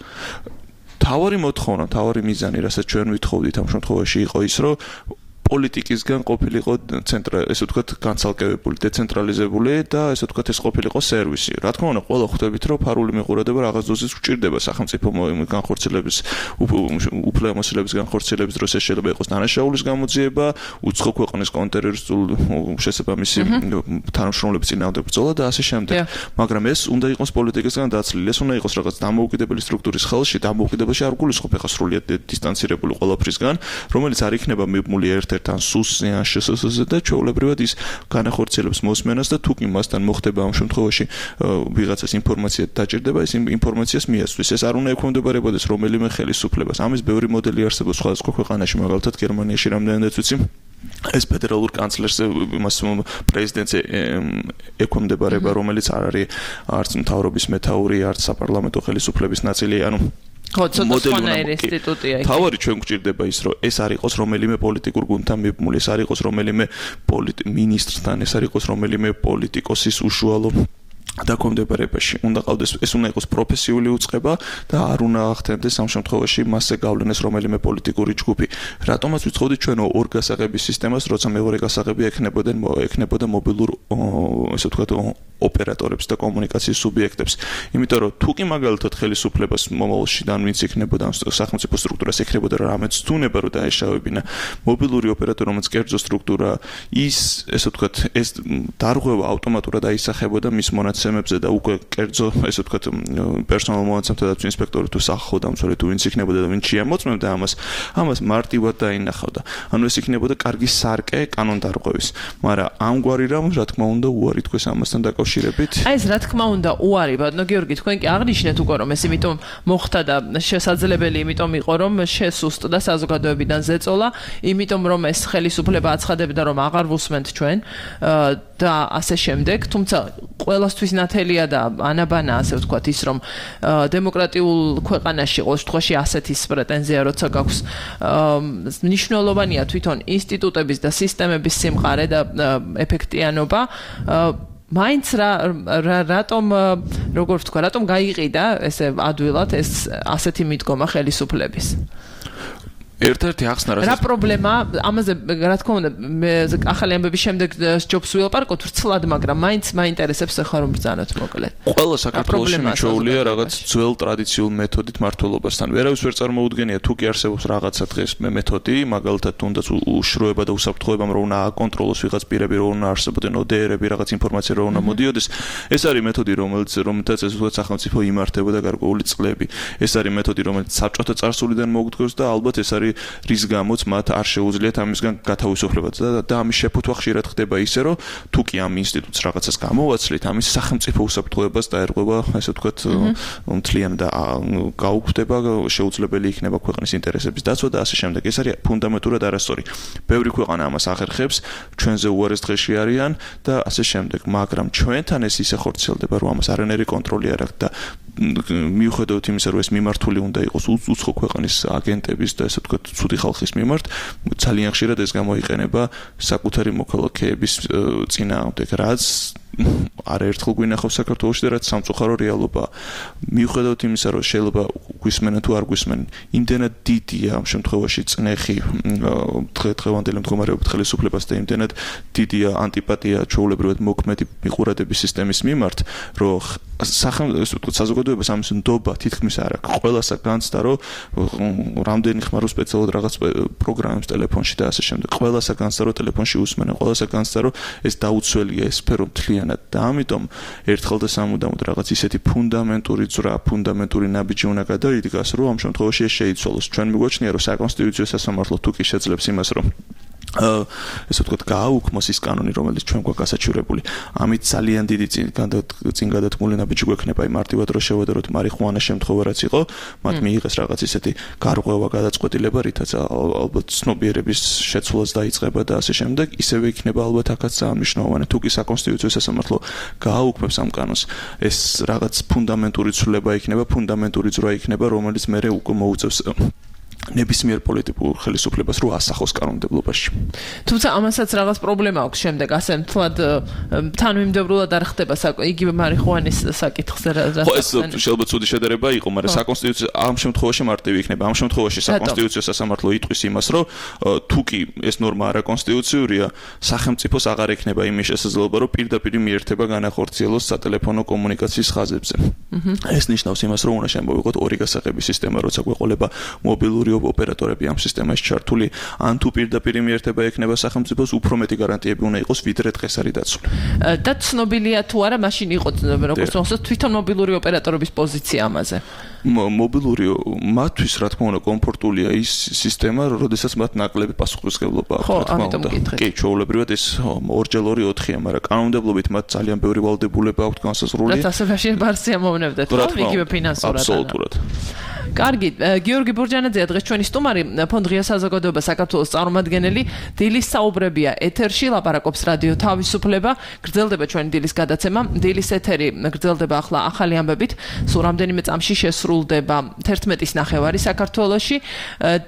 თავარი მოთხოვნა, თავარი მიზანი, რასაც ჩვენ ვითხოვდით ამ შემთხვევაში იყო ის, რომ პოლიტიკისგან ყოფილიყო ესე ვთქვათ განცალკევებული, დეცენტრალიზებული და ესე ვთქვათ ეს ყოფილიყო სერვისი. რა თქმა უნდა, ყველა ხვდებით, რომ ფარული მიყურადება რაღაც დოზის გვჭირდება სახელმწიფო განხორციელების უფლებამოსილების განხორციელების დროს ეს შეიძლება იყოს დანაშაულის გამოძიება, უცხო ქვეყნის კონტრტერორისტულ შესაბამისი თანამშრომლობის წინააღმდეგ ბრძოლა და ასე შემდეგ. მაგრამ ეს უნდა იყოს პოლიტიკისგან დაცლილი, ეს უნდა იყოს რაღაც დამოუკიდებელი სტრუქტურის ხელში, დამოუკიდებელში არ გულისხმობ ახლა სრულიად დისტანცირებული ყველაფრისგან, რომელიც არ იქნება მიბმული ან სუსზე ან შესაძლოზე და ჩვეულებრივად ის განახორციელებს მოსმენას და თუ კი მასთან მოხდება ამ შემთხვევაში ვიღაცას ინფორმაცია დაჭირდება, ეს ინფორმაციას მიასწვის. ეს არ უნდა ექვემდებარებოდეს რომელიმე ხელისუფლებას. ამის ბევრი მოდელი არსებობს სხვადასხვა ქვეყანაში, მაგალითად გერმანიაში რამდენადაც ვიცი. ეს ფედერალურ კანცლერს იმას პრეზიდენტს ექვემდებარება, რომელიც არ არის არც მთავრობის მეთაური, არც საპარლამენტო ხელისუფლების ნაწილი, ანუ თავარი ჩვენ გვჭირდება ის, რომ ეს არ იყოს რომელიმე პოლიტიკურ გუნდთან მიბმული, ეს არ იყოს რომელიმე მინისტრთან, ეს არ იყოს რომელიმე პოლიტიკოსის უშუალო დაქვემდებარებაში. უნდა ყავდეს, ეს უნდა იყოს პროფესიული უწყება და არ უნდა ახდენდეს ამ შემთხვევაში მასზე გავლენას რომელიმე პოლიტიკური ჯგუფი. რატომაც ვიცხოვდით ჩვენ ორ გასაღების სისტემას, როცა მეორე გასაღები ექნებოდა მობილურ, ესე ვთქვათ, ოპერატორებს და კომუნიკაციის სუბიექტებს. იმიტომ რომ თუ კი მაგალითად ხელისუფლებას მომავალში და ვინც იქნებოდა სახელმწიფო სტრუქტურას ეკრებოდა რამეც თუნება რომ დაეშავებინა მობილური ოპერატორი რომელიც კერძო სტრუქტურა ის ესე ვთქვათ ეს დარღვევა ავტომატურად აისახებოდა მის მონაცემებზე და უკვე კერძო ესე ვთქვათ პერსონალ მონაცემთა დაცვის ინსპექტორი თუ სახალხო დამცველი თუ ვინც იქნებოდა და ვინც შეამოწმებდა ამას მარტივად დაინახავდა. ანუ ეს იქნებოდა კარგი სარკე კანონდარღვევის. მაგრამ ამგვარი რამ რა თქმა უნდა უარი თქვეს ამასთან დაკავშირებით. აი ეს რა თქმა უნდა უარი, ბატონო გიორგი, თქვენ კი აღნიშნეთ უკვე რომ ეს იმიტომ მოხდა და შესაძლებელი იმიტომ იყო რომ შესუსტდა საზოგადოებიდან ზეწოლა, იმიტომ რომ ეს ხელისუფლება აცხადებდა რომ აღარ ვუსმენთ ჩვენ და ასე შემდეგ, თუმცა ყველასთვის ნათელია და ანაბანა ასე ვთქვათ ის რომ დემოკრატიულ ქვეყანაში ყოველ შემთხვევაში ასეთი პრეტენზია როცა გაქვს მნიშვნელოვანია თვითონ ინსტიტუტების და სისტემების სიმყარე და ეფექტიანობა მაინც რატომ როგორ ვთქვა რატომ გაიყიდა ესე ადვილად ეს ასეთი მიდგომა ხელისუფლების ერთ-ერთი ახსნა რა პრობლემა ამაზე რა თქმა უნდა ახალი ამბების შემდეგ ჯობს ვილაპარაკოთ ვრცლად მაგრამ მაინც მაინტერესებს ახლა რომ ბრძანოთ მოკლედ ყველა საქართველოში მიჩვეულია რაღაც ძველ ტრადიციულ მეთოდით მართლობასთან ვერავის ვერ წარმოუდგენია თუ კი არსებობს რაღაცა დღეს მეთოდი მაგალითად თუნდაც უშროება და უსაფრთხოება რომ უნდა აკონტროლოს ვიღაც პირები რომ უნდა არსებობდნენ ODR-ები რაღაც ინფორმაცია რომ უნდა მოდიოდეს ეს არის მეთოდი რომელთაც ეს უბრალოდ სახელმწიფო იმართებოდა გარკვეული წლები ეს არის მეთოდი რომელიც საბჭოთა წარსულიდან მოგვდგოს და ალბათ ეს არის რის გამოც მათ არ შეუძლიათ ამისგან გათავისუფლება და ამის შეფუთვა ხშირად ხდება ისე რომ თუ კი ამ ინსტიტუტს რაღაცას გამოვაცლით ამის სახელმწიფო უსაფრთხოებას დაერღვევა ასე ვთქვათ მთლიან და გაუქმდება შეუძლებელი იქნება ქვეყნის ინტერესების დაცვა და ასე შემდეგ ეს არის ფუნდამენტურად არასწორი ბევრი ქვეყანა ამას ახერხებს ჩვენზე უარეს დღეში არიან და ასე შემდეგ მაგრამ ჩვენთან ეს ისე ხორციელდება რომ ამას არანაირი კონტროლი არ აქვს და მიუხედავად იმისა რომ ეს მიმართული უნდა იყოს უცხო ქვეყნის აგენტების და ასე ვთქვათ ცუდი ხალხის მიმართ ძალიან ხშირად ეს გამოიყენება საკუთარი მოქალაქეების წინააღმდეგ რაც არაერთხელ გვინახავს საქართველოში და რაც სამწუხარო რეალობაა მიუხედავად იმისა რომ შეიძლება გვისმენენ თუ არ გვისმენენ იმდენად დიდია ამ შემთხვევაში წნეხი დღევანდელი მდგომარეობით ხელისუფლებას და იმდენად დიდია ანტიპათია ჩვეულებრივად მოქმედი მიყურადების სისტემის მიმართ რომ საზოგადოებას ამის ნდობა თითქმის არ აქვს ყველასა განცდა რომ რამდენი ხმარო სპეციალურად რაღაც პროგრამებს ტელეფონში და ასე შემდეგ ყველასა განცდა რომ ტელეფონში უსმენენ ყველასა განცდა რომ ეს დაუცველია ეს სფერო მთლიანად და ამიტომ ერთხელ და სამუდამოდ რაღაც ისეთი ფუნდამენტური ძრა ფუნდამენტური ნაბიჯი უნდა გადაიდგას რომ ამ შემთხვევაში ეს შეიცვალოს ჩვენ მიგვაჩნია რომ საკონსტიტუციო სასამართლო თუ კი შეძლებს იმას რომ ესე ვთქვათ გააუქმოს ის კანონი რომელიც ჩვენ გვაქვს გასაჩივრებული ამით ძალიან დიდი წინ გადათქმული ნაბიჯი გვექნება აი მარტივად რომ შევადაროთ მარიხუანა შემთხვევა რაც იყო მათ მიიღეს რაღაც ისეთი გარღვევა გადაწყვეტილება რითაც ალბათ ცნობიერების შეცვლას დაიწყება და ასე შემდეგ ისევე იქნება ალბათ აქაც ძალიან მნიშვნელოვანი თუ კი საკონსტიტუციო სასამართლო გააუქმებს ამ კანონს ეს რაღაც ფუნდამენტური ცვლილება იქნება ფუნდამენტური ძრა იქნება რომელიც მერე უკვე მოუწევს ნებისმიერ პოლიტიკურ ხელისუფლებას რო ასახოს კანონმდებლობაში. თუმცა ამასაც რაღაც პრობლემა აქვს შემდეგ ასე მთლად თანმიმდევრულად არ ხდება იგივე მარიხუანის საკითხზე ხო ეს შეიძლება ცუდი შედარება იყო, მაგრამ საკონსტიტუციო ამ შემთხვევაში მარტივი იქნება. ამ შემთხვევაში საკონსტიტუციო სასამართლო იტყვის იმას, რომ თუ კი ეს ნორმა არაკონსტიტუციურია, სახელმწიფოს აღარ ექნება იმის შესაძლებლობა, რომ პირდაპირ მიერთება განახორციელოს სატელეფონო კომუნიკაციის ხაზებზე. ეს ნიშნავს იმას, რომ უნდა შემოვიღოთ ორი გასაღების სისტემა, როცა გვეყოლება მობილური ოპერატორები ამ სისტემაში ჩართული, ან თუ პირდაპირ მიერთება ექნება სახელმწიფოს, უფრო მეტი გარანტიები უნდა იყოს, ვიდრე დღეს არის დაცული. და ცნობილია თუ არა, მაშინ იყო როგორც მოსწონს თვითონ მობილური ოპერატორების პოზიცია ამაზე. მობილური მათთვის რა თქმა უნდა კომფორტულია ის სისტემა, როდესაც მათ ნაკლები პასუხისმგებლობა აქვს, რა თქმა უნდა. კი, ჩვეულებრივად ეს 2x2-4-ია, მაგრამ კანონმდებლობით მათ ძალიან ბევრი ვალდებულება აქვს განსაზღვრული. რაც ასებაში ბარსია მომნევდეთ, ხო, იგივე ფინანსურად. აბსოლუტურად. კარგი, გიორგი ბურჯანაძეა დღეს ჩვენი სტუმარი, ფონდ ღია საზოგადოება საქართველოს წარმომადგენელი, დილის საუბრებია ეთერში, ლაპარაკობს რადიო თავისუფლება, გრძელდება ჩვენი დილის გადაცემა, დილის ეთერი გრძელდება ახლა ახალი ამბებით, სულ რამდენიმე წამში შესრულდება 11:30 საქართველოში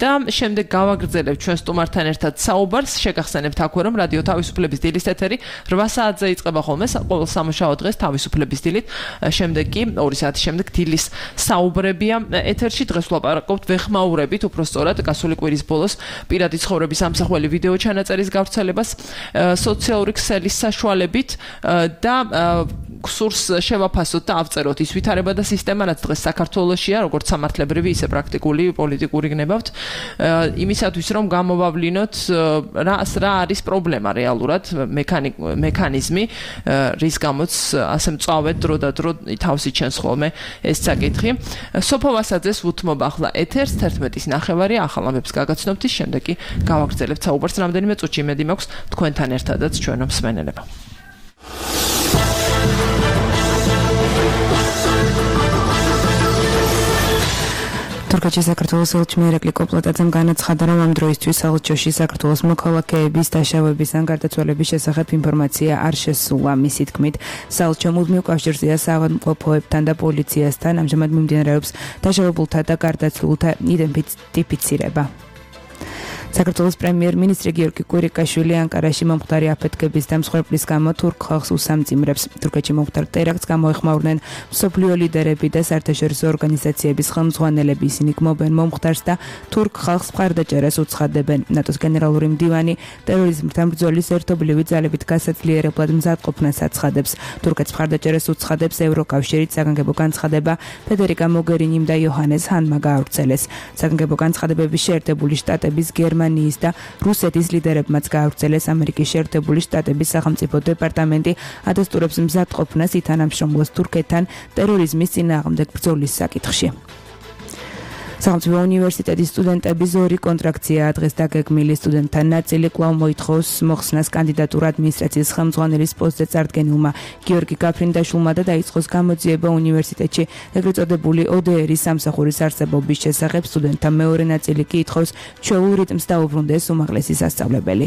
და შემდეგ გავაგრძელებთ ჩვენ სტუმართან ერთად საუბარს, შეგახსენებთ აქვე რომ რადიო თავისუფლების დილის ეთერი 8 საათზე იწყება ხოლმე ყოველ სამუშაო დღეს თავისუფლების დილით, შემდეგ კი 2 საათის შემდეგ დილის საუბრებია ეთერში დღეს ვლაპარაკობთ ვეხმაურებით უფრო სწორად გასული კვირის ბოლოს პირადი ცხოვრების ამსახველი ვიდეო ჩანაწერის გავრცელებას სოციალური ქსელის საშუალებით და გსურს შევაფასოთ და ავწეროთ ის ვითარება და სისტემა, რაც დღეს საქართველოშია, როგორც სამართლებრივი, ისე პრაქტიკული, პოლიტიკური გნებავთ, იმისათვის რომ გამოვავლინოთ რა არის პრობლემა რეალურად, მექანიზმი, რის გამოც ასე მწვავედ დრო და დრო თავს იჩენს ხოლმე ეს საკითხი. სოფო ვასაძეს უთმობ ახლა ეთერს 11:09 ახალ ამბებს გაგაცნობთ, ის შემდეგ კი გავაგრძელებთ საუბარს რამდენიმე წუთში. იმედი მაქვს თქვენთან ერთადაც ჩვენო მსმენელებო. თურქეთში საქართველოს ელჩი მირეკლი კოპლატაძემ განაცხადა, რომ ამ დროისთვის საელჩოში საქართველოს მოქალაქეების დაშავების ან გარდაცვალების შესახებ ინფორმაცია არ შესულა. მისი თქმით, საელჩო მუდმივ კავშირზეა საავადმყოფოებთან და პოლიციასთან, ამჟამად მიმდინარეობს დაშავებულთა და გარდაცვლილთა იდენტიფიცირება. საქართველოს პრემიერ-მინისტრი გიორგი კვირიკაშვილი ანკარაში მომხდარი აფეთქების და მსხვერპლის გამო თურქ ხალხს უსამძიმრებს. თურქეთში მომხდარ ტერაქტს გამოეხმაურნენ მსოფლიო ლიდერები და საერთაშორისო ორგანიზაციების ხელმძღვანელები. ისინი გმობენ მომხდარს და თურქ ხალხს მხარდაჭერას უცხადებენ. ნატოს გენერალური მდივანი ტერორიზმთან ბრძოლის ერთობლივი ძალებით გასაძლიერებლად მზადყოფნას აცხადებს. თურქეთს მხარდაჭერას უცხადებს ევროკავშირით. საგანგებო განცხადება ფედერიკა მოგერინიმ და იოჰანეს ჰანმა გაავრცელეს. საგანგებო განცხადებების შეერთებული შტატების გერმანიის და რუსეთის ლიდერებმაც გაავრცელეს. ამერიკის შეერთებული შტატების სახელმწიფო დეპარტამენტი ადასტურებს მზადყოფნას ითანამშრომლოს თურქეთთან ტერორიზმის წინააღმდეგ ბრძოლის საკითხში. სახელმწიფო უნივერსიტეტის სტუდენტების ორი კონტრაქცია დღეს დაგეგმილი. სტუდენტთა ნაწილი კვლავ მოითხოვს მოხსნას კანდიდატურ ადმინისტრაციის ხელმძღვანელის პოსტზე წარდგენილმა გიორგი გაფრინდაშვილმა და დაიწყოს გამოძიება უნივერსიტეტში ეგრეთ წოდებული ODR-ის სამსახურის არსებობის შესახებ. სტუდენტთა მეორე ნაწილი კი ითხოვს ჩვეულ რიტმს დაუბრუნდეს უმაღლესი სასწავლებელი.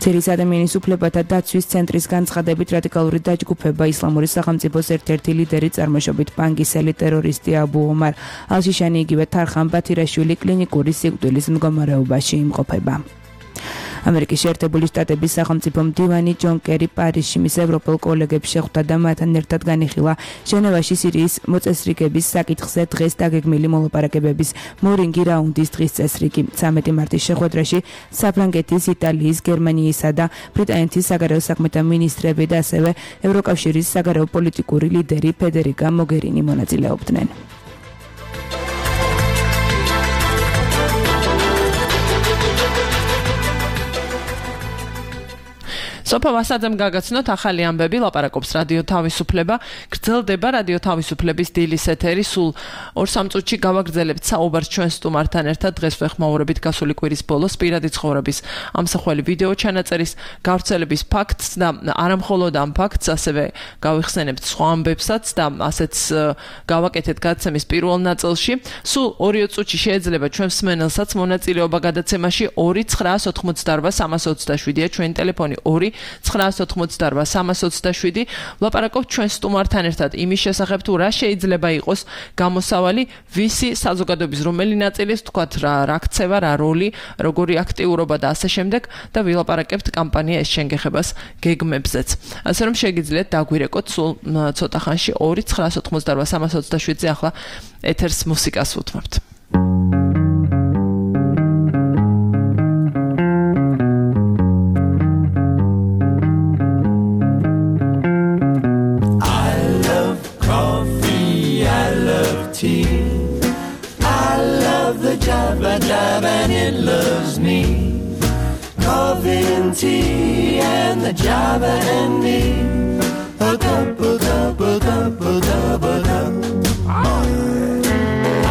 ძირის ადამიანის უფლებათა დაცვის ცენტრის განცხადებით რადიკალური დაჯგუფება ისლამური სახელმწიფოს ერთ-ერთი ლიდერი წარმოშობით პანგისელი ტერორისტი აბუ ომარ ალ-შიშანი იგივე თარხან ბათირაშვილი კლინიკური სიკვდილის მდგომარეობაში იმყოფება. ამერიკის შეერთებული შტატების სახელმწიფო მდივანი ჯონ კერი პარიზში მის ევროპელ კოლეგებს შეხვდა და მათთან ერთად განიხილა ჟენევაში სირიის მოწესრიგების საკითხზე დღეს დაგეგმილი მოლაპარაკებების მორინგი რაუნდის დღის წესრიგი. 13 მარტის შეხვედრაში საფრანგეთის, იტალიის, გერმანიისა და ბრიტანეთის საგარეო საქმეთა მინისტრები და ასევე ევროკავშირის საგარეო პოლიტიკური ლიდერი ფედერიკა მოგერინი მონაწილეობდნენ. სოფო ვასაძემ გაგაცნოთ ახალი ამბები, ლაპარაკობს რადიო თავისუფლება. გრძელდება რადიო თავისუფლების დილის ეთერი. სულ 2-3 წუთში გავაგრძელებთ საუბარს ჩვენ სტუმართან ერთად. დღეს ვეხმაურებით გასული კვირის ბოლოს პირადი ცხოვრების ამსახველი ვიდეო ჩანაწერის გავრცელების ფაქტს და არამხოლოდ ამ ფაქტს, ასევე გავიხსენებთ სხვა ამბებსაც და ასეც გავაკეთეთ გადაცემის პირველ ნაწილში. სულ 2 წუთში შეიძლება ჩვენ მსმენელსაც მონაწილეობა გადაცემაში 2-988-327-ია ჩვენი ტელეფონი 2-988-327. ვლაპარაკობთ ჩვენ სტუმართან ერთად იმის შესახებ, თუ რა შეიძლება იყოს გამოსავალი, ვისი საზოგადოების რომელი ნაწილის, თქვათ რა ქცევა, რა როლი, როგორი აქტიურობა და ასე შემდეგ და ვილაპარაკებთ კამპანია ეს შენგეხებას გეგმებზეც. ასე რომ შეგიძლიათ დაგვირეკოთ სულ ცოტა ხანში 2-988-327-ზე. ახლა ეთერს მუსიკას უთმობთ. I love the Java and it loves me. Coffee and tea and the Java and me. A cup, a cup, a cup, a cup, a cup. I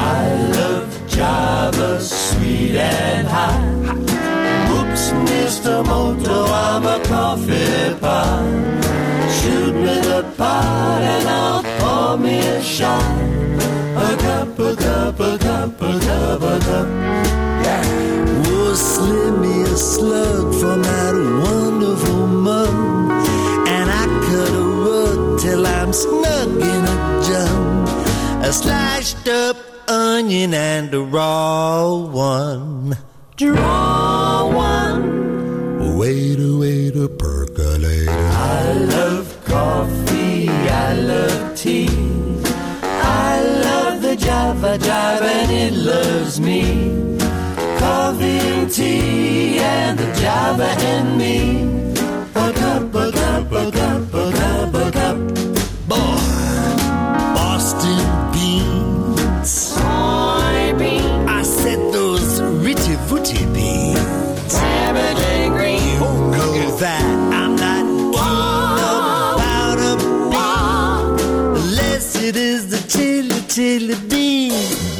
love Java, sweet and hot. Whoops, Mr. Moto, I'm a coffee pot. Shoot me the pot and I'll pour me a shot. A cup, a cup, a cup, a cup, a cup. Yeah. Oh, slip me a slug from that wonderful mug, and I cut a rug till I'm snug in a jug. A sliced up onion and a raw one. Draw one. Wait a percolator. I love coffee, I love tea. I love the Java and it loves me. Coffee and tea and the Java and me. A cup, a cup, a cup, a cup, a cup.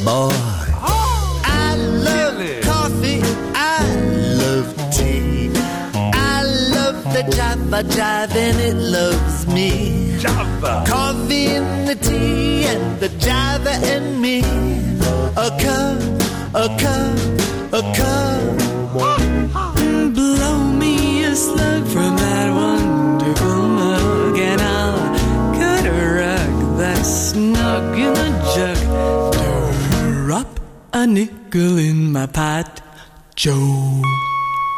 boy. I love coffee, I love tea. I love the Java jive and it loves me. Java. Coffee and the tea and the Java and me. A cup, a cup, a cup. Blow me a slug from that wonderful mug, and I'll cut a rug that's snug in a jug. Drop a nickel in my pot, Joe.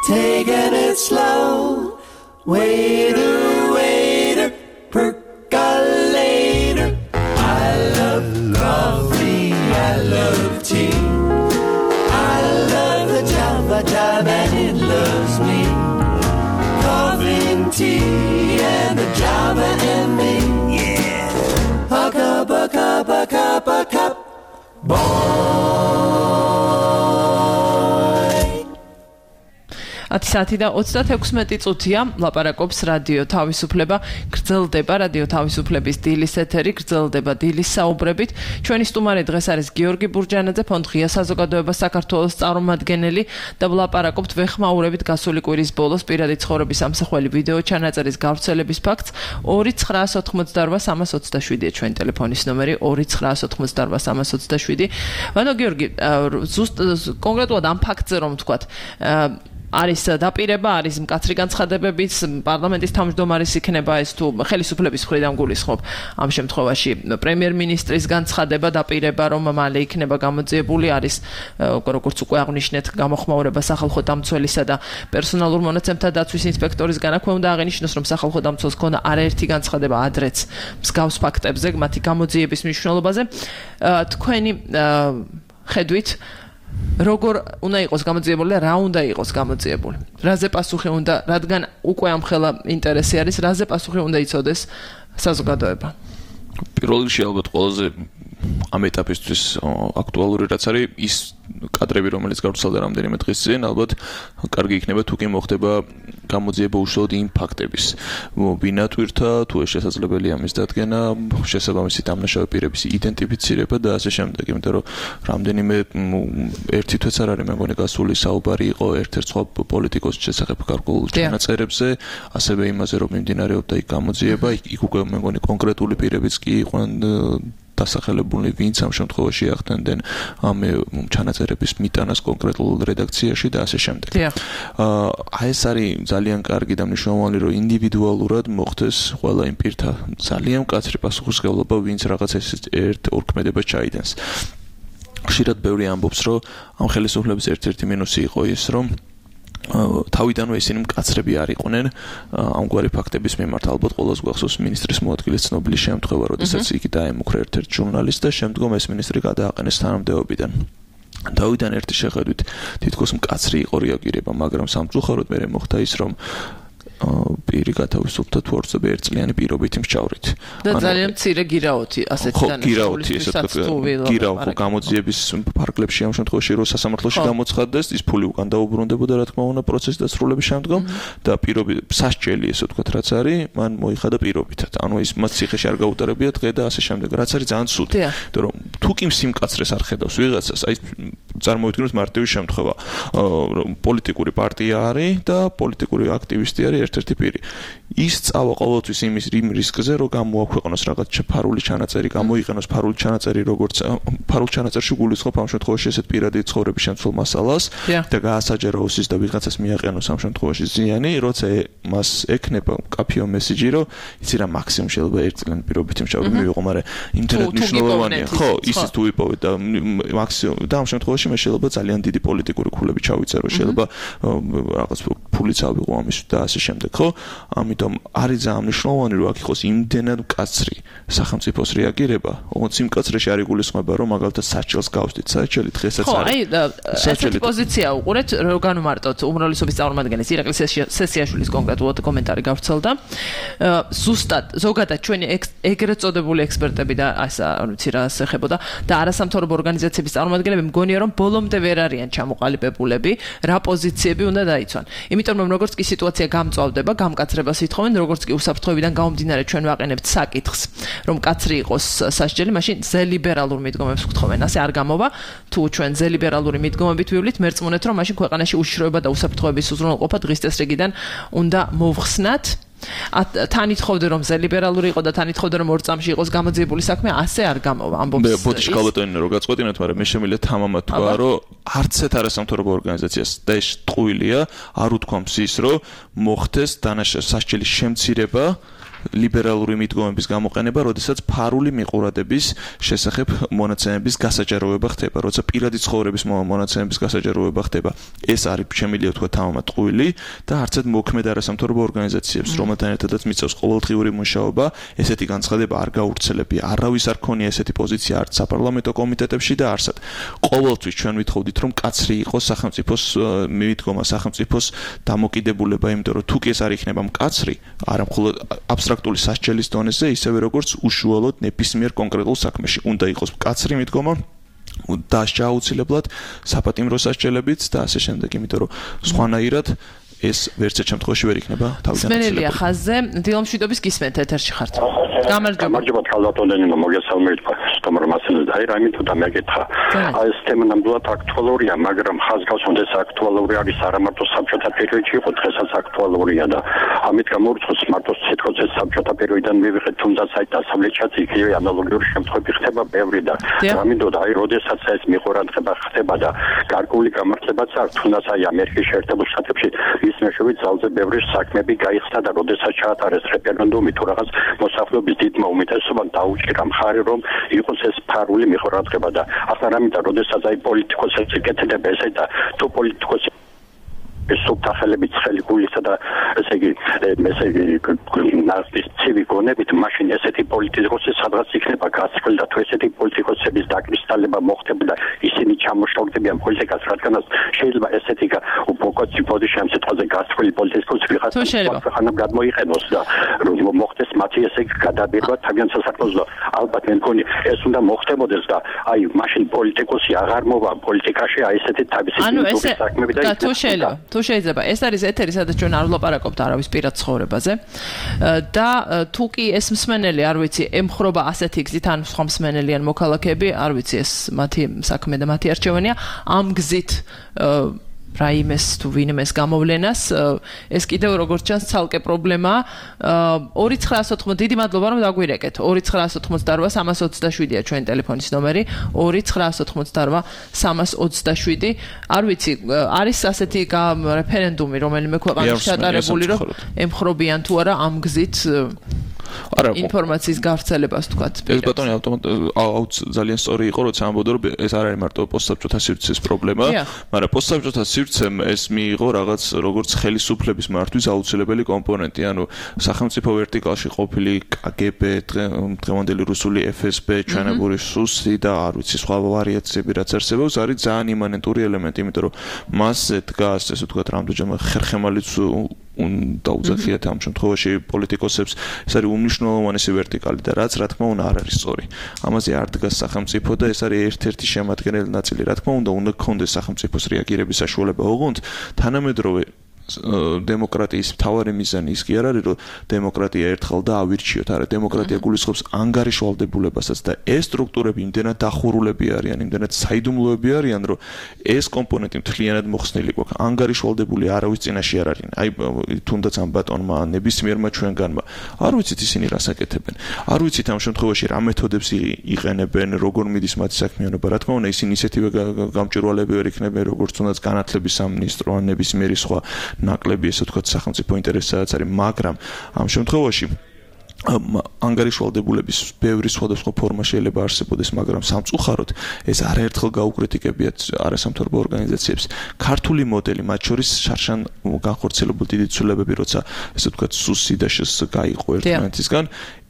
Taking it slow, waiter, waiter, percolator. I love coffee, I love tea. I love the Java jive and it loves me. Coffee and tea and the Java and me. Yeah. A cup, a cup, a cup, a cup. Saati და 36 წუთია ლაპარაკობს რადიო თავისუფლება, გრძელდება რადიო თავისუფლების დილის ეთერი, გრძელდება დილის საუბრებით. ჩვენი სტუმარი დღეს არის გიორგი ბურჯანაძე, ფონდ ღია საზოგადოება საქართველოს წარმომადგენელი და ვლაპარაკობთ ვეხმაურებით გასული კვირის ბოლოს პირადი ცხოვრების ამსახველი ვიდეო ჩანაწერის გავრცელების ფაქტს. 2988327-ია ჩვენი ტელეფონის ნომერი 2988327. ვანო გიორგი, ზუსტ კონკრეტულად ამ ფაქტზე რომ ვთქვათ, არის დაპირება, არის მკაცრი განცხადებებიც, პარლამენტის თავმჯდომარის იქნება ეს თუ ხელისუფლების მხრიდან გულისხმობ ამ შემთხვევაში პრემიერ-მინისტრის განცხადება დაპირება, რომ მალე იქნება გამოძიებული, არის როგორც უკვე აღნიშნეთ, გამოხმაურება სახალხო დამცველისა და პერსონალურ მონაცემთა დაცვის ინსპექტორის განაქვე უნდა აღინიშნოს, რომ სახალხო დამცველს ქონდა არაერთი განცხადება ადრეც მსგავს ფაქტებზე, მათი გამოძიების მნიშვნელობაზე. თქვენი ხედვით როგორ უნდა იყოს გამოძიებული და რა უნდა იყოს გამოძიებული? რაზე პასუხი უნდა, რადგან უკვე ამხელა ინტერესი არის, რაზე პასუხი უნდა იცოდეს საზოგადოება? პირველ რიგში ალბათ ყველაზე ამ ეტაპისთვის აქტუალური რაც არის ის კადრები, რომელიც გავრცელდა რამდენიმე დღის წინ, ალბათ კარგი იქნება თუ კი მოხდება გამოძიება უშუალოდ იმ ფაქტების ბინატვირთა, თუ ეს შესაძლებელია მის დადგენა, შესაბამისი დამნაშავე პირების იდენტიფიცირება და ასე შემდეგ, იმიტომ რომ რამდენიმე ერთი თვეც არ არის, მე მგონი გასული საუბარი იყო ერთ-ერთ სხვა პოლიტიკოსის შესახებ გარკვეულ ჩანაწერებზე, ასევე იმაზე რომ მიმდინარეობდა იქ გამოძიება, იქ უკვე მე მგონი კონკრეტული პირებიც კი იყვნენ დასახელებული, ვინც ამ შემთხვევაში ახდენდნენ ამ ჩანაწერების მიტანას კონკრეტულ რედაქციაში და ასე შემდეგ. აი ეს არის ძალიან კარგი და მნიშვნელოვანი, რომ ინდივიდუალურად მოხდეს ყველა იმ პირთა ძალიან მკაცრი პასუხისმგებლობა, ვინც რაღაც ერთ-ორ ქმედებას ჩაიდენს. ხშირად ბევრი ამბობს, რომ ამ ხელისუფლების ერთ-ერთი მინუსი იყო ის, რომ თავიდანვე ისინი მკაცრები არ იყვნენ ამგვარი ფაქტების მიმართ. ალბათ ყველას გვახსოვს მინისტრის მოადგილის ცნობილი შემთხვევა, როდესაც იგი დაემუქრა ერთ-ერთ ჟურნალისტს და შემდგომ ეს მინისტრი გადააყენეს თანამდებობიდან. თავიდან ერთი შეხედვით თითქოს მკაცრი იყო რეაგირება, მაგრამ სამწუხაროდ მე მოხდა ის, რომ პირი გათავისუფლდა თუ არცები ერთწლიანი პირობითი მსჯავრით. და ძალიან მცირე გირაოთი ასეთი გირაოთი, ესე ვთქვათ, გირაო გამოძიების ფარგლებში ამ შემთხვევაში რო სასამართლოში გამოცხადდეს, ის ფული უკან დაუბრუნდებოდა, რა თქმა უნდა, პროცესის დასრულების შემდგომ და პირობითი სასჯელი, ესე ვთქვათ, რაც არის, მან მოიხადა პირობითად. ანუ ის მას ციხეში არ გაუტარებია დღე და ასე შემდეგ. რაც არის ძალიან ცუდი. იმიტომ რომ თუ კი სიმკაცრეს არ ხედავს ვიღაცას, აი წარმოვიდგინოთ მარტივი შემთხვევა. პოლიტიკური პარტია არის და პოლიტიკური აქტივისტი არის ერთ-ერთი პირი. ის წავა ყოველთვის იმის რისკზე, რომ გამოაქვეყნოს რაღაც ფარული ჩანაწერი, გამოიყენოს ფარული ჩანაწერი, როგორც ფარულ ჩანაწერში გულისხმობ ამ შემთხვევაში ესეთ პირადი ცხოვრების შემცველ მასალას და გაასაჯაროს ის და ვიღაცას მიაყენოს ამ შემთხვევაში ზიანი, როცა მას ექნება კაფეო მესიჯი, რომ იცი რა მაქსიმუმ შეიძლება ერთწლიანი პირობითი მსჯავრი მივიღო, მაგრამ ინტერნეტ მნიშვნელოვანია. ხო, ისიც თუ ვიპოვეთ და მაქსიმუმ და ამ შემთხვევაში მე შეიძლება ძალიან დიდი პოლიტიკური ქულები ჩავიწერო, შეიძლება რაღაც ფულიც ავიღო ამის და ასე შემდეგ, ხო? ამიტომ არის ძალიან მნიშვნელოვანი, რომ აქ იყოს იმდენად მკაცრი სახელმწიფოს რეაგირება, ოღონდ იმ მკაცრეში არ იგულისხმება, რომ მაგალითად საჭელს გავსდით, საჭელი დღესაც არის. ხო, აი, ესეთი პოზიცია უყურეთ, რომ განვმარტოთ უმრავლესობის წარმომადგენლის ირაკლი სესიაშვილის კონკრეტულად კომენტარი გავრცელდა. ზუსტად, ზოგადად ჩვენი ეგრეთ წოდებული ექსპერტები და ასე ვიცი რა ეხებოდა და არასამთავრობო ორგანიზაციების წარმომადგენლები მგონია, რომ ბოლომდე ვერ არიან ჩამოყალიბებულები, რა პოზიციები უნდა დაიცვან. იმიტომ რომ როგორც კი სიტუაცია გამწვავდება, გამკაცრებას ითხოვენ, როგორც კი უსაფრთხოებიდან გამომდინარე ჩვენ ვაყენებთ საკითხს, რომ კაცრი იყოს სასჯელი, მაშინ ზელიბერალურ მიდგომებს ვთხოვენ. ასე არ გამოვა, თუ ჩვენ ზელიბერალური მიდგომებით ვივლით, მერწმუნეთ რომ მაშინ ქვეყანაში უშიშროება და უსაფრთხოების უზრუნველყოფა დღის წესრიგიდან უნდა მოვხსნათ. თან ითხოვდა რომ ზელიბერალური იყო და თან ითხოვდა რომ ორ წამში იყოს გამოძიებული საქმე, ასე არ გამოვა. ამბობს ბოდიში ქალბატონი რომ გაწყვეტინოთ, მაგრამ მე შემიძლია თამამად თქვა, რომ არც ერთ არასამთავრობო ორგანიზაციას და ეს ტყუილია არ უთქვამს ის, რომ მოხდეს სასჯელის შემცირება ლიბერალური მიდგომების გამოყენება, როდესაც ფარული მიყურადების შესახებ მონაცემების გასაჯაროება ხდება, როცა პირადი ცხოვრების მონაცემების გასაჯაროება ხდება. ეს არის შემიძლია თქვა თამამად ტყუილი და არც ერთ მოქმედ არასამთავრობო ორგანიზაციებს, რომელთან ერთადაც მიწევს ყოველდღიური მუშაობა, ესეთი განცხადება არ გაურცელებია. არავის არ ქონია ესეთი პოზიცია არც საპარლამენტო კომიტეტებში და არსად. ყოველთვის ჩვენ ვითხოვდით, რომ კაცრი იყოს სახელმწიფოს მიდგომა, სახელმწიფოს დამოკიდებულება, იმიტომ რომ თუ კი ეს არ იქნება მკაცრი, არა მხოლოდ აბსტრაქტული სასჯელის დონეზე, ისევე როგორც უშუალოდ ნებისმიერ კონკრეტულ საქმეში უნდა იყოს მკაცრი მიდგომა, დასჯა აუცილებლად საპატიმრო სასჯელებით და ასე შემდეგ, იმიტომ რომ სხვანაირად ეს ვერც ერთ შემთხვევაში ვერ იქნება თავიდან. სმენელია ხაზზე, დილომშვიდობის გისმენთ ეთერში ხართ. გამარჯობა. გამარჯობა ქალბატონო, მოგესალმებით. სტუმარ მასალას აი რაიმე თუ დამეკითხა. აი ეს თემა ნამდვილად აქტუალურია, მაგრამ ხაზგასმოდეს აქტუალური არის არა მარტო საბჭოთა პერიოდში იყო, დღესაც აქტუალურია და ამით გამორიცხავს მარტო სიტყვაზე საბჭოთა პერიოდიდან მივიღეთ, თუნდაც აი დასავლეთშიც იგივე ანალოგიური შემთხვევები ხდება ბევრი და ამინდოდა აი როდესაც ეს მიყურადღება ხდება და გარკვეული გამართლებაც აქვს, თუნდაც აი ამერიკის შეერთებულ შტატებში ის მეშვეობით ძალზე ბევრი საქმეები გაიხსნა და როდესაც ჩაატარეს რეფერენდუმი თუ რაღაც მოსახლეობის დიდმა უმეტესობამ დაუჭირა მხარი რომ იყოს ეს ფარული მიყურადღება და ახლა რამინდა როდესაც აი პოლიტიკოსებს ეკეთება ესე და თუ პოლიტიკოსი სუბთახელებით ცხელი გულისა და ესე იგი ნაცის ცივი გონებით მაშინ ესეთი პოლიტიკოსი სადღაც იქნება გასცვლილი და თუ ესეთი პოლიტიკოსების დაკრისტალება მოხდება და ისინი ჩამოშორდებიან პოლიტიკას, რადგანაც შეიძლება ესეთი უპოკოცი პოზიცია ამ სიტყვაზე გასცვლილი პოლიტიკოსი ვიღაცა ხანამ გადმოიყენოს და რომ მოხდეს მათი ესე გადაბირვა თავიანთ სასახლეში და ალბათ მე მგონი ეს უნდა მოხდებოდეს და აი მაშინ პოლიტიკოსი აღარ მოვა პოლიტიკაში აი ესეთი თავისი საქმეები და თუ შეიძლება ეს არის ეთერი, სადაც ჩვენ არ ვლაპარაკობთ არავის პირად ცხოვრებაზე და თუ კი ეს მსმენელი არ ვიცი ემხრობა ასეთი გზით ან სხვა მსმენელი ან მოქალაქეები არ ვიცი ეს მათი საქმე და მათი არჩევანია ამ გზით რაიმეს თუ ვინმეს გამოვლენას ეს კიდევ როგორც ჩანს ცალკე პრობლემაა 2980 დიდი მადლობა რომ დაგვირეკეთ 2988-327-ია ჩვენი ტელეფონის ნომერი 2988-327 არ ვიცი არის ასეთი რეფერენდუმი რომელიმე ქვეყანაში ჩატარებული რომ ემხრობიან თუ არა ამ გზით ინფორმაციის გავრცელებას თქვათ. ეს ბატონი ძალიან სწორი იყო, როცა ამბობდა რომ ეს არ არის მარტო პოსტსაბჭოთა სივრცის პრობლემა, მაგრამ პოსტსაბჭოთა სივრცემ ეს მიიღო რაღაც როგორც ხელისუფლების მართვის აუცილებელი კომპონენტი, ანუ სახელმწიფო ვერტიკალში ყოფილი KGB, დღევანდელი რუსული FSB, ჩვენებური SUS და არ ვიცი სხვა ვარიაციები რაც არსებობს, არის ძალიან იმანენტური ელემენტი, იმიტომ რომ მასზე დგას ესე ვთქვათ, რამდენჯერმე ხერხემალიც და უძახიათ ამ შემთხვევაში პოლიტიკოსებს ეს არის უმნიშვნელოვანესი ვერტიკალი და რაც რა თქმა უნდა არ არის სწორი. ამაზე არ დგას სახელმწიფო და ეს არის ერთ-ერთი შემადგენელი ნაწილი. რა თქმა უნდა გქონდეს სახელმწიფოს რეაგირების საშუალება, ოღონდ თანამედროვე დემოკრატიის მთავარი მიზანი ის კი არ არის რომ დემოკრატია ერთხელ და ავირჩიოთ, არა დემოკრატია გულისხმობს ანგარიშვალდებულებასაც და ეს სტრუქტურები იმდენად დახურულები არიან, იმდენად საიდუმლოები არიან, რომ ეს კომპონენტი მთლიანად მოხსნილი გვაქვს. ანგარიშვალდებული არავის წინაშე არ არიან. აი თუნდაც ამ ბატონმა ნებისმიერმა ჩვენგანმა არ ვიცით ისინი რას აკეთებენ. არ ვიცით ამ შემთხვევაში რა მეთოდებს იყენებენ, როგორ მიდის მათი საქმიანობა. რა თქმა უნდა ისინი ისეთივე გამჭვირვალეები ვერ იქნებიან, როგორც თუნდაც განათლების სამინისტრო ან ნებისმიერი სხვა ნაკლები ესე ვთქვათ სახელმწიფო ინტერესსაც არის, მაგრამ ამ შემთხვევაში ანგარიშვალდებულების ბევრი სხვადასხვა ფორმა შეიძლება არსებობდეს, მაგრამ სამწუხაროდ ეს არაერთხელ გაუკრიტიკებიათ არასამთავრობო ორგანიზაციებს. ქართული მოდელი, მათ შორის შარშან განხორციელებული დიდი ცვლილებები, როცა ესე ვთქვათ SUS-ი და შს გაიყო ერთმანეთისგან,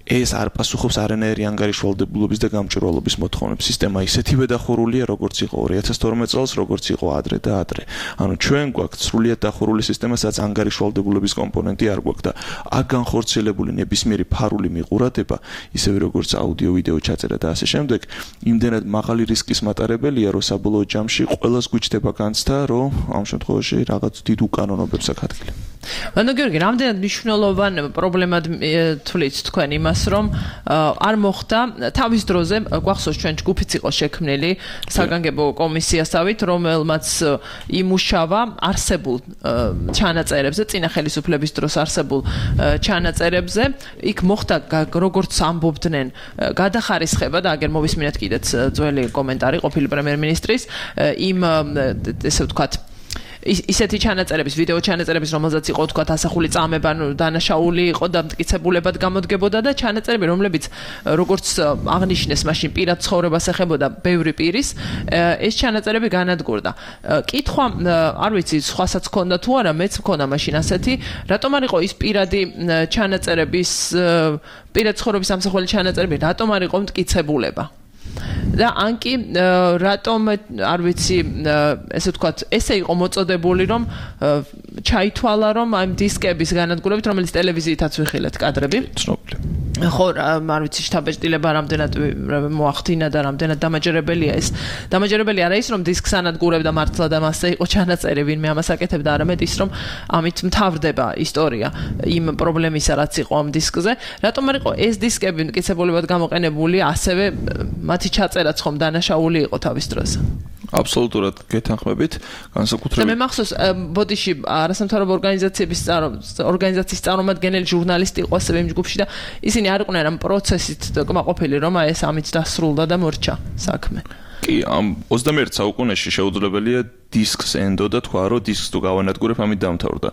ეს არ პასუხობს არანაირი ანგარიშვალდებულობის და გამჭვირვალობის მოთხოვნებს. სისტემა ისეთივე დახურულია, როგორც იყო 2012 წელს, როგორც იყო ადრე და ადრე. ანუ ჩვენ გვაქვს სრულიად დახურული სისტემა, სადაც ანგარიშვალდებულობის კომპონენტი არ გვაქვს და აქ განხორციელებული ნებისმიერი ფარული მიყურადება, ისევე როგორც აუდიო, ვიდეო ჩაწერა და ასე შემდეგ, იმდენად მაღალი რისკის მატარებელია, რომ საბოლოო ჯამში ყველას გვიჩდება განცდა, რომ ამ შემთხვევაში რაღაც დიდ უკანონობებს აქ ადგილი. Ანუ გიორგი, რამდენად მნიშვნელოვან პრობლემად თვლით თქვენ იმას, რომ არ მოხდა თავის დროზე გვახსოვს ჩვენ ჯგუფიც იყო შექმნილი საგანგებო კომისიასავით, რომელმაც იმუშავა არსებულ ჩანაწერებზე, წინა ხელისუფლების დროს არსებულ ჩანაწერებზე, იქ მოხდა როგორც ამბობდნენ, გადახარისხება და აგერ მოვისმინეთ კიდეც ძველი კომენტარი ყოფილი პრემიერ-მინისტრის იმ ესე ვთქვათ ისეთი ჩანაწერების, ვიდეო ჩანაწერების, რომელზეც იყო თქვა ასახული წამება, დანაშაული იყო და მტკიცებულებად გამოდგებოდა და ჩანაწერები, რომლებიც როგორც აღნიშნეს, მაშინ პირად ცხოვრებას ეხებოდა ბევრი პირის, ეს ჩანაწერები განადგურდა. კითხვა, არ ვიცი, სხვასაც ჰქონდა თუ არა, მეც მქონდა მაშინ ასეთი, რატომ არ იყო ის პირადი ჩანაწერების, პირად ცხოვრების ამსახველი ჩანაწერები, რატომ არ იყო მტკიცებულება? და ანკი რატომ არ ვიცი ესე ვთქვათ ესე იყო მოწოდებული რომ ჩაითვალა რომ ამ დისკების განადგურებით რომელიც ტელევიზიითაც ვიხილეთ კადრები ცნობილი ხო არ ვიცი შთაბეჭდილება რამდენად მოახდინა და რამდენად დამაჯერებელია ეს დამაჯერებელი არა ის რომ დისკს ანადგურებდა მართლა და მასზე იყო ჩანაწერი ვინმე ამას აკეთებდა არამედ ის რომ ამით მთავრდება ისტორია იმ პრობლემისა რაც იყო ამ დისკზე რატომ არ იყო ეს დისკები მტკიცებულებად გამოყენებული ასევე მათი ჩაწერაც ხომ დანაშაული იყო თავის დროზე. აბსოლუტურად გეთანხმებით, განსაკუთრებით. და მე მახსოვს ბოდიში არასამთავრობო ორგანიზაციის წარმომადგენელი ჟურნალისტი იყო ასევე იმ ჯგუფში და ისინი არ იყვნენ ამ პროცესით კმაყოფილი რომ ეს ამით დასრულდა და მორჩა საქმე. კი, ამ 21 საუკუნეში შეუძლებელია დისკს ენდოდა თქვა, რომ დისკს თუ გავანადგურებ, ამით დამთავრდა.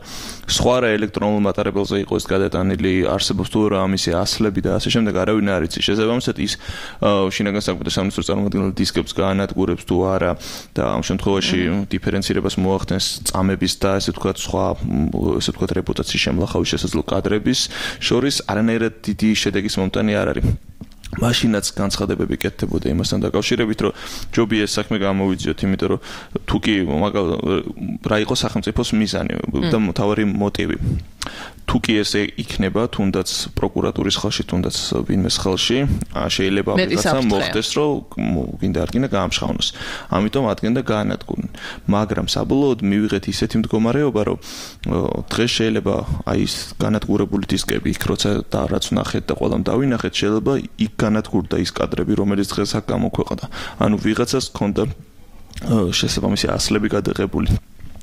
სხვა რა ელექტრონულ მატარებელზე იყო ეს გადატანილი, არსებობს თუ რა ამისი ასლები და ასე შემდეგ, არავინ არ იცის. შესაბამისად ის შინაგან საქმეთა სამინისტროს წარმომადგენელი დისკებს გაანადგურებს თუ არა და ამ შემთხვევაში დიფერენცირებას მოახდენს წამების და ესე ვთქვათ სხვა ესე ვთქვათ რეპუტაციის შემლახავის შესაძლო კადრების შორის არანაირად დიდი შედეგის მომტანი არ არის. მაშინაც განცხადებები კეთდებოდა იმასთან დაკავშირებით, რომ ჯობია ეს საქმე გამოვიძიოთ, იმიტომ რომ თუ კი რა იყო სახელმწიფოს მიზანი და მთავარი მოტივი. თუ კი ესე იქნება, თუნდაც პროკურატურის ხელში, თუნდაც ვინმეს ხელში, შეიძლება ვიღაცა მოხდეს, რომ გინდა არ გინდა გაამშხავნოს. ამიტომ ადგენდა გაანადგურონ. მაგრამ საბოლოოდ მივიღეთ ისეთი მდგომარეობა, რომ დღეს შეიძლება აი ეს განადგურებული დისკები იქ როცა და რაც ვნახეთ და ყველამ დავინახეთ, შეიძლება იქ განადგურდა ის კადრები, რომელიც დღეს აქ გამოქვეყნდა. ანუ ვიღაცას ჰქონდა შესაბამისი ასლები გადაღებული.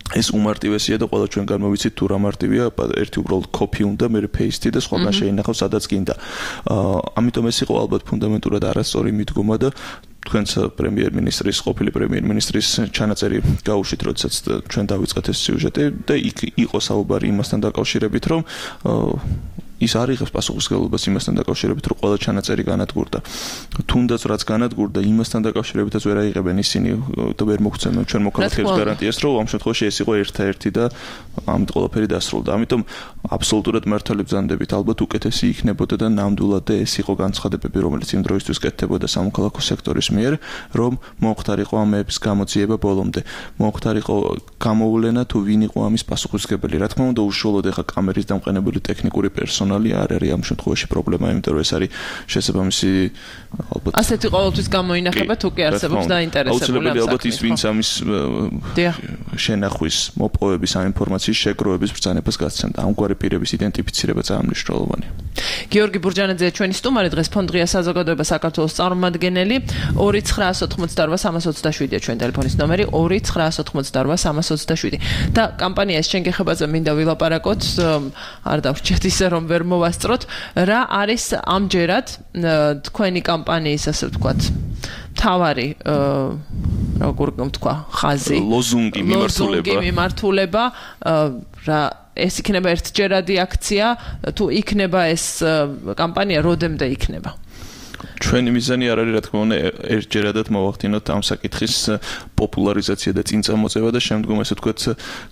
ეს უმარტივესია და ყველა ჩვენ გამოვიცით თუ რა მარტივია, ერთი უბრალოდ კოპი უნდა, მე პეისტი და სხვაგან შეინახავ სადაც გინდა. ამიტომ ეს იყო ალბათ ფუნდამენტურად არასწორი მიდგომა და თქვენც პრემიერ-მინისტრის, ყოფილი პრემიერ-მინისტრის ჩანაწერი გაუშვით, როდესაც ჩვენ დავიწყეთ ეს სიუჟეტი და იქ იყო საუბარი იმასთან დაკავშირებით, რომ ის არ იღებს პასუხისმგებლობას იმასთან დაკავშირებით, რომ ყველა ჩანაწერი განადგურდა. თუნდაც რაც განადგურდა, იმასთან დაკავშირებითაც ვერ აიღებენ ისინი და ვერ მოგცემენ ჩვენ მოქალაქეებს გარანტიას, რომ ამ შემთხვევაში ეს იყო ერთ-ერთი და ამით ყველაფერი დასრულდა. ამიტომ აბსოლუტურად მართალი ბრძანდებით, ალბათ უკეთესი იქნებოდა და ნამდვილად ეს იყო განცხადებები, რომელიც იმ დროისთვის კეთდებოდა სამოქალაქო სექტორის მიერ, რომ მომხდარიყო ამების გამოძიება ბოლომდე. მომხდარიყო გამოვლენა თუ ვინ იყო ამის პასუხისმგებელი. რა თქმა უნდა, უშუალოდ ეხა კამერის დამყენებელი ტექნიკური პერსონალი არ არის ამ შემთხვევაში პრობლემა, იმიტომ რომ ეს არის შესაბამისი ალბათ ასეთი ყოველთვის გამოინახება თუ კი არსებობს დაინტერესებული ამ ალბათ ის ვინც ამის შენახვის, მოპოვების, ამ ინფორმაციის შეგროვების ბრძანებას გასცემდა. ამგვარი პირების იდენტიფიცირება ძალიან მნიშვნელოვანია. გიორგი ბურჯანაძე ჩვენი სტუმარი დღეს ფონდ-ღია საზოგადოება საქართველოს წარმომადგენელი 2988327 ჩვენ ტელეფონის ნომერი 2988327 და კამპანიას შენგეხებაზე მინდა ვილაპარაკოთ არ დავრჩეთ ისე რომ ვერ მოვასწროთ რა არის ამჯერად თქვენი კამპანიის ასე ვთქვათ თავარი როგორ ვთქვა ხაზი ლოზუნგი მიმართულება რა ეს იქნება ერთჯერადი აქცია თუ იქნება ეს კამპანია როდემდე იქნება ჩვენი მიზანი არ არის რა თქმა უნდა ერთჯერადად მოვახდინოთ ამ საკითხის პოპულარიზაცია და წინწამოწევა და შემდგომ ესე ვთქვათ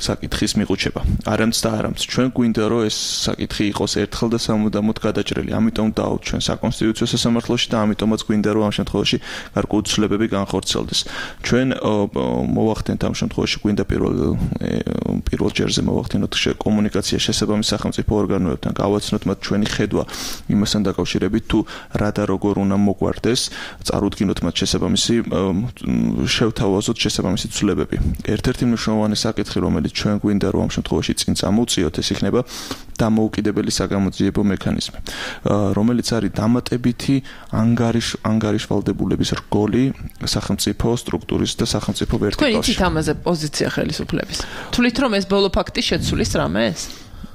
საკითხის მიყუჩება. არამც და არამც ჩვენ გვინდა რომ ეს საკითხი იყოს ერთხელ და სამუდამოდ გადაჭრილი. ამიტომ დავთ ჩვენ საკონსტიტუციო სასამართლოში და ამიტომაც გვინდა რომ ამ შემთხვევაში გარკვეული ცვლილებები განხორციელდეს. ჩვენ მოვახდენთ ამ შემთხვევაში გვინდა პირველ ჯერზე მოვახდინოთ კომუნიკაცია შესაბამის სახელმწიფო ორგანოებთან, გავაცნოთ მათ ჩვენი ხედვა იმასთან დაკავშირებით თუ რა და როგორ უნდა მოგვარდეს, წარუდგინოთ მათ შესაბამისი შევთავაზოთ შესაბამისი ცვლილებები. ერთ-ერთი მნიშვნელოვანი საკითხი, რომელიც ჩვენ გვინდა რომ ამ შემთხვევაში წინ წამოვწიოთ, ეს იქნება დამოუკიდებელი საგამოძიებო მექანიზმი, რომელიც არის დამატებითი ანგარიშვალდებულების რგოლი სახელმწიფო სტრუქტურის და სახელმწიფო ვერტიკალში. თქვენ იცით ამაზე პოზიცია ხელისუფლების? თვლით რომ ეს ბოლო ფაქტი შეცვლის რამეს?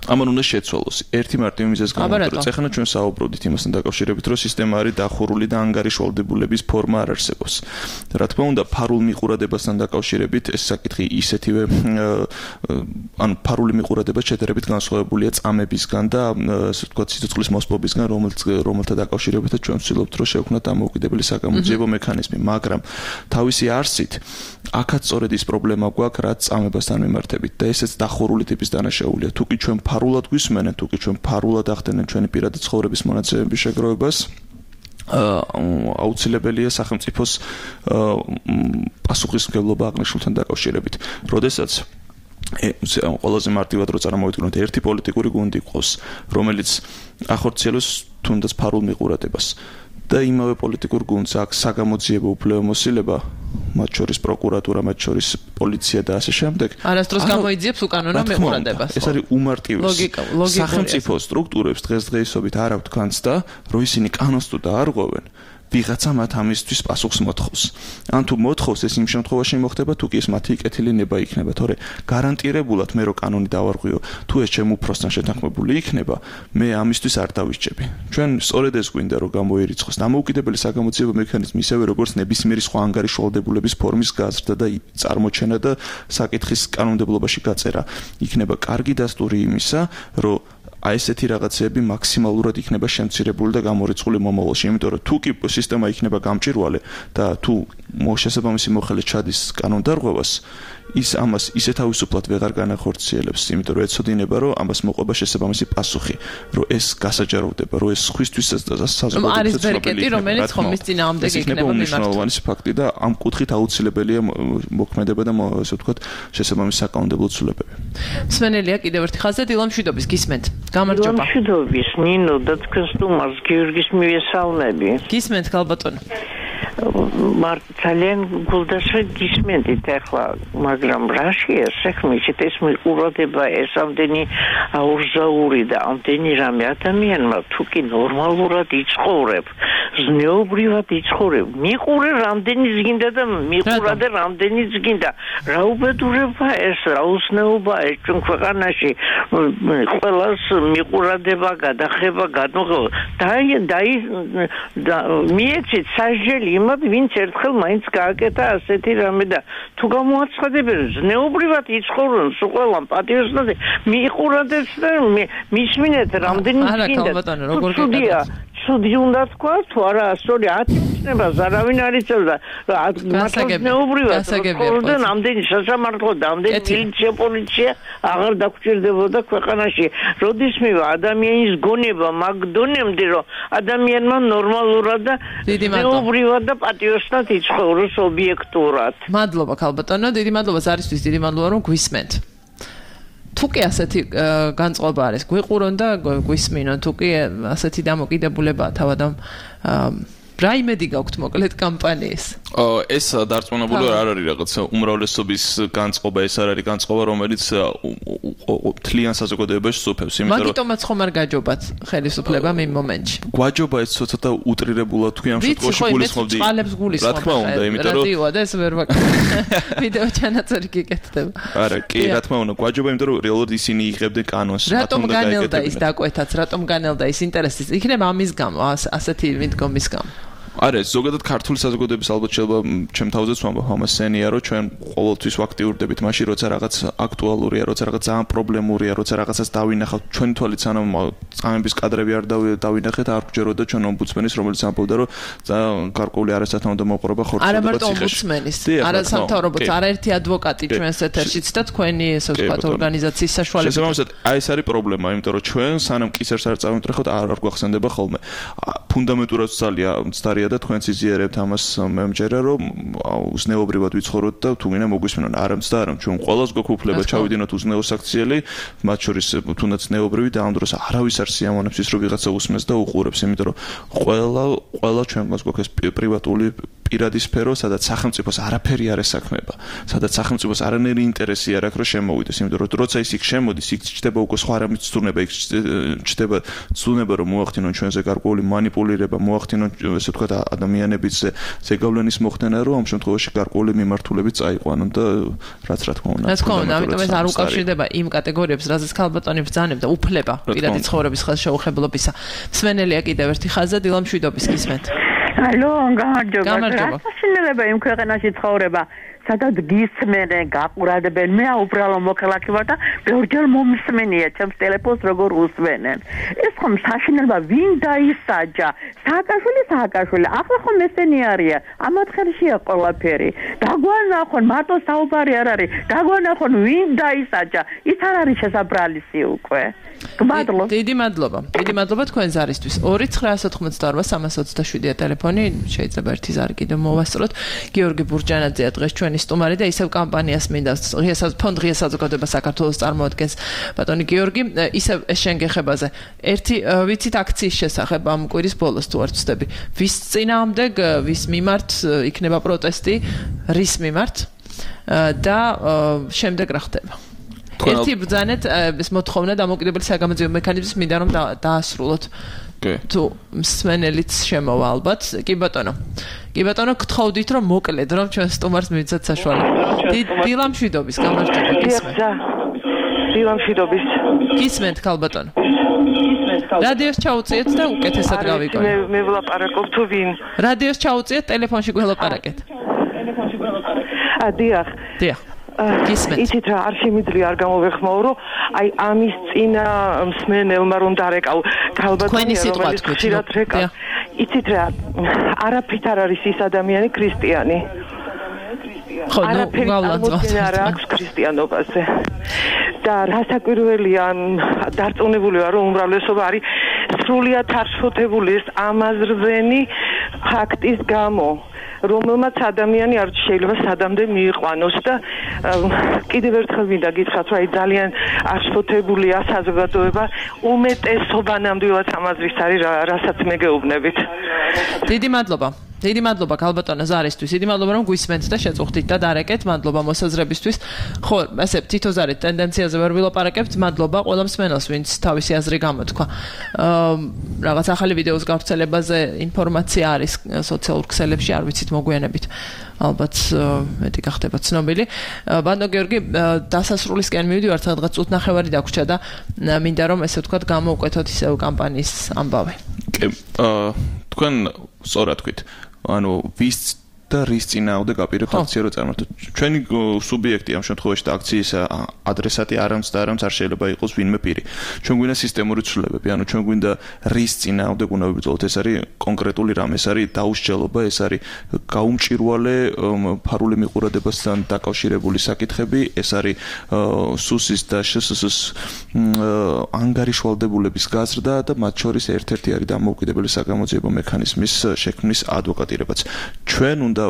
ამან უნდა შეცვალოს. ერთი მარტივი მიზეზი გამოიწვია. ეხლა ჩვენ საუბრობთ იმასთან დაკავშირებით, რომ სისტემა არის დახურული და ანგარიშვალდებულების ფორმა არ არსებობს. რა თქმა უნდა, ფარულ მიყურადებასთან დაკავშირებით ეს საკითხი ისეთივე ფარული მიყურადება შედარებით განსხვავებულია წამებისგან და ასე ვთქვათ სიცოცხლის მოსპობისგან, რომელთა დაკავშირებითაც ჩვენ ვცდილობთ, რომ შევქმნათ დამოუკიდებელი საგამოძიებო მექანიზმი, მაგრამ თავისი არსით აქაც სწორედ ის პრობლემა გვაქვს, რაც წამებასთან მიმართებით და ესეც დახურული ტიპის დანაშაულია. თუკი ჩვენ ფარულად გვისმენენ, თუკი ჩვენ ფარულად ახდენენ ჩვენი პირადი ცხოვრების მონაცემების შეგროვებას, აუცილებელია სახელმწიფოს პასუხისმგებლობა აღნიშნულთან დაკავშირებით. როდესაც ყველაზე მარტივად რო წარმოვიდგინოთ, ერთი პოლიტიკური გუნდი ყავს, რომელიც ახორციელებს თუნდაც ფარულ მიყურადებას და იმავე პოლიტიკურ გუნდს აქვს საგამოძიებო უფლებამოსილება, მათ შორის პროკურატურა, მათ შორის პოლიცია და ასე შემდეგ. არასდროს გამოიძიებს უკანონო მიყურადებას. ეს არის უმარტივესი. სახელმწიფო სტრუქტურებს დღესდღეობით არ აქვთ განცდა, რომ ისინი კანონს თუ დაარღვევენ, ვიღაცა მათ ამისთვის პასუხს მოთხოვს. ან თუ მოთხოვს, ეს იმ შემთხვევაში მოხდება, თუ კი ეს მათი კეთილი ნება იქნება, თორე გარანტირებულად მე რო კანონი დავარღვიო, თუ ეს ჩემ უფროსთან შეთანხმებული იქნება, მე ამისთვის არ დავისჯები. ჩვენ სწორედ ეს გვინდა რომ გამოირიცხოს დამოუკიდებელი საგამოძიებო მექანიზმი, ისევე როგორც ნებისმიერი სხვა ანგარიშვალდებულების ფორმის გაზრდა და წარმოჩენა და საკითხის კანონმდებლობაში გაწერა. იქნება კარგი დასტური იმისა, რომ აი ესეთი რაღაცები მაქსიმალურად იქნება შემცირებული და გამორიცხული მომავალში, იმიტომ რომ თუ კი სისტემა იქნება გამჭვირვალე და თუ შესაბამისი მოხელე ჩადის კანონდარღვევას, ის ამას ისე თავისუფლად ვეღარ განახორციელებს, იმიტომ რომ ეცოდინება, რომ ამას მოყვება შესაბამისი პასუხი, რომ ეს გასაჯაროვდება, რომ ეს სხვისთვისაც და საზოგადოებრივად არის ბერკეტი, რომელიც ხომის წინააღმდეგ იქნება მნიშვნელოვანი ფაქტი და ამ კუთხით აუცილებელია მოქმედება და ასე ვთქვათ, შესაბამისი საკანონმდებლო ცვლილებები. მსმენელია კიდევ ერთი ხაზზე დილა მშვიდობის გისმენთ. გამარჯობა. მშვიდობის, ნინო და თქვენ სტუმარს გიორგის მივესალმები. გისმენთ გალბატონო. ძალიან გულდასვე გისმენთ ახლა, მაგრამ რაშია საქმეში ეს მიყურადება, ეს ამდენი აურზაური და ამდენი რამე ადამიანმა თუ კი ნორმალურად იცხოვრებ, ზნეობრივად იცხოვრებ, მიყურე რამდენიც გინდა და მიყურადე რამდენიც გინდა. რა უბედურება ეს, რა უცნაობა ეს ჩვენ ქვეყანაში ყველას მიყურადება, გადახება, განუღება. მიეცით სასჯელი იმად, ვინც ერთხელ მაინც გააკეთა ასეთი რამე და თუ გამოაცხადებენ ზნეობრივად იცხოვრონ ყველამ პატიოსნაზე მიყურადეთ და მისმინეთ რამდენი გინდა. ცუდია, ცუდი უნდა თქვა თუ არა, სწორი ათწნებას არავინ არ იცოდა. ზნეობრივად ცხოვრობდნენ ამდენი სასამართლო და ამდენი მილიცია, პოლიცია აღარ დაგჭირდებოდა ქვეყანაში. როდისმევა ადამიანის გონება მაგ დონემდე, რომ ადამიანმა ნორმალურად და ზნეობრივად და პატიოსნად იცხოვროს ობიექტურად. მადლობა ქალბატონო, დიდი მადლობა ზარისთვის, დიდი მადლობა რომ გვისმენთ. თუკი ასეთი განწყობა არის, გვიყურონ და გვისმინონ, თუკი ასეთი დამოკიდებულება თავად რა იმედი გაქვთ მოკლედ კამპანიის? ეს დარწმუნებული არ არის რაღაცა უმრავლესობის განწყობა, ეს არ არის განწყობა, რომელიც თლიან საზოგადოებაში სუფევს, იმიტომ რომ მაგიტომაც ხომ არ გაჯობათ ხელისუფლებამ იმ მომენტში. გვაჯობა ეს ცოტა უტრირებულად თუ ამ შემთხვევაში გულისხმობდი. რა თქმა უნდა, იმიტომ რომ რადიოა და ეს ვერ ვაკეთებ. ვიდეო ჩანაწერი გიკეთდება. არა, კი, რა თქმა უნდა, გვაჯობა, იმიტომ რომ რეალურად ისინი იღებდნენ კანონს, რატომ განელდა ის დაკვეთაც, რატომ განელდა ის ინტერესი? იქნება ამის გამო, ასეთი მიდგომის გამო. არა, ზოგადად ქართული საზოგადოების ალბათ შეიძლება ჩემ თავზეც ვამბობ ამას სენია, რომ ჩვენ ყოველთვის ვაქტიურდებით მაშინ, როცა რაღაც აქტუალურია, როცა რაღაც ძალიან პრობლემურია, როცა რაღაცას დავინახავთ, ჩვენი თვალით სანამ წამების კადრები არ დავინახეთ, არ გვჯეროდა ჩვენ ომბუდსმენის, რომელიც ამბობდა, რომ ძალიან გარკვეული არასათანადო მოპყრობა ხორცდება ციხეში. არა მარტო ომბუდსმენის, არა სამთავრობოც, არაერთი ადვოკატი ჩვენს ეთერშიც და თქვენი ესე ვთქვათ ორგანიზაციის საშუალებით. შესაბამისად, აი ეს არის პრობლემა, იმიტომ რომ ჩვენ სანამ კისერს არ წავიმტრეხოთ, არ გვახსენდება ხოლმე. ფუნდამენტურად ცდარია და თქვენც იზიარებთ ამას მე მჯერა რომ უზნეობრივად ვიცხოვროთ და თუ გინდა მოგვისმენონ არ ამცდა ჩვენ ყველას გვაქვს უფლება ჩავიდინოთ უზნეო საქციელი მათ შორის თუნდაც ზნეობრივი და ამ დროს არავის არ სიამოვნებს ის რომ ვიღაცა უსმენს და უყურებს იმიტომ რომ ყველა ჩვენს გვაქვს პრივატული პირადი სფერო სადაც სახელმწიფოს არაფერი არ ესაქმება სადაც სახელმწიფოს არანაირი ინტერესი არ აქვს რომ შემოვიდეს იმიტომ რომ როცა ის იქ შემოდის იქ ჩდება უკვე სხვა რამის ცდურნება იქ ჩდება ცდურნება რომ მოახდინონ ჩვენზე გარკვეული манипулირება მოახდინონ ესე ვთქვათ ადამიანების ზეგავლენის მოხდენა რომ ამ შემთხვევაში გარკვეული მიმართულებით წაიყვანონ და რაც რა თქმა უნდა რაც თქმა უნდა ამიტომ ეს არ უკავშირდება იმ კატეგორიებს რაზეც ქალბატონი ბრძანებდა უფლება პირადი ცხოვრების ხელშეუხებლობისა მსმენელია კიდევ ერთი ხაზა დილა მშვიდობის გისმენთ ალო გამარჯობა შეიძლება იმ ქვეყანაში ცხოვრება სადაც გისმენენ გაყურებენ მე უბრალო მოქალაქე ვარ და ბევრჯერ მომსმენია ჩემს ტელეფონს როგორ უსმენენ ეს ხომ საშინელება ვინ დაისაჯა სააკაშვილი ახლა ხომ ესენი არია ამათ ხელშია ყველაფერი დაგვანახონ მარტო საუბარი არ არის დაგვანახონ ვინ დაისაჯა ის არ არის შესაბრალისი უკვე გმადლობ დიდი მადლობა თქვენ ზარისთვის 2988327 ტელეფონი შეიძლება ერთი ზარი კიდევ მოვასწროთ გიორგი ბურჯანაძეა დღეს ჩვენი სტუმარი და ისევ კამპანიას მინდა ფონდ ღია საზოგადოება საქართველოს წარმოადგენს ბატონი გიორგი ისევ ეს შენგეხებაზე ერთი ვიცით აქციის შესახებ ამ კვირის ბოლოს თუ არ ვცდები ვის წინააღმდეგ ვის მიმართ იქნება პროტესტი რის მიმართ და შემდეგ რა ხდება ერთი ბრძანეთ ეს მოთხოვნა დამოუკიდებელი საგამოძიებო მექანიზმის მინდა რომ დაასრულოთ თუ მსმენელიც შემოვა ალბათ კი ბატონო გთხოვდით რომ მოკლედ რომ ჩვენ სტუმარს მივიცათ საშუალება დილა მშვიდობის გამარჯობა გისმენთ ქალბატონო რადიოს ჩაუწიეთ და უკეთესად გავიგოთ მე ვლაპარაკობ თუ ვინ რადიოს ჩაუწიეთ ტელეფონში გველაპარაკეთ დიახ იცით რა არ შემიძლია არ გამოვეხმაო რომ აი ამის წინა მსმენელმა რომ დარეკავ ქალბატონი რომელიც ხშირად რეკა იცით რა არაფრით არ არის ის ადამიანი ქრისტიანი არაფერი არ აქვს ქრისტიანობაზე და რასაკვირველია დარწმუნებული ვარ რომ უმრავლესობა არის სრულიად არშფოთებული ეს ამაზრდენი ფაქტის გამო რომელმაც ადამიანი არ შეიძლება სადამდე მიიყვანოს და კიდევ ერთხელ მინდა გითხრათ რომ აი ძალიან არშფოთებულია საზოგადოება უმეტესობა ნამდვილად ამაზრის არის რასაც მეგეუბნებით დიდი მადლობა ქალბატონო ზარისთვის დიდი მადლობა რომ გვისმენთ და შეწუხდით და დარეკეთ მადლობა მოსაზრებისთვის ხო ესე თითო ზარით ტენდენციაზე ვერ ვილაპარაკებთ მადლობა ყველა მსმენელს ვინც თავისი აზრი გამოთქვა რაღაც ახალი ვიდეოს გავრცელებაზე ინფორმაცია არის სოციალურ ქსელებში არ ვიცით მოგვიანებით ალბათ მეტი გახდება ცნობილი ბატონო გიორგი დასასრულისკენ მივიდივართ სადღაც წუთნახევარი დაგვრჩა და მინდა რომ ესე ვთქვათ გამოვკვეთოთ ისევ კამპანიის ამბავი კი თქვენ სწორად თქვით ანუ ვის და რის წინააღმდეგ აპირებთ აქცია რო წარმართოთ ჩვენი სუბიექტი ამ შემთხვევაში და აქციის ადრესატი არამც არ შეიძლება იყოს ვინმე პირი ჩვენ გვინდა სისტემური ცვლილებები ანუ ჩვენ გვინდა რის წინააღმდეგ უნდა ვიბრძოლოთ ეს არის კონკრეტული რამ ეს არის დაუსჯელობა ეს არის გაუმჭირვალე ფარული მიყურებასთან დაკავშირებული საკითხები ეს არის სუსის და შსს ანგარიშვალდებულების გაზრდა და მათ შორის ერთ-ერთი არის დამოუკიდებელი საგამოძიებო მექანიზმის შექმნის ადვოკატირებაც ჩვენ უნდა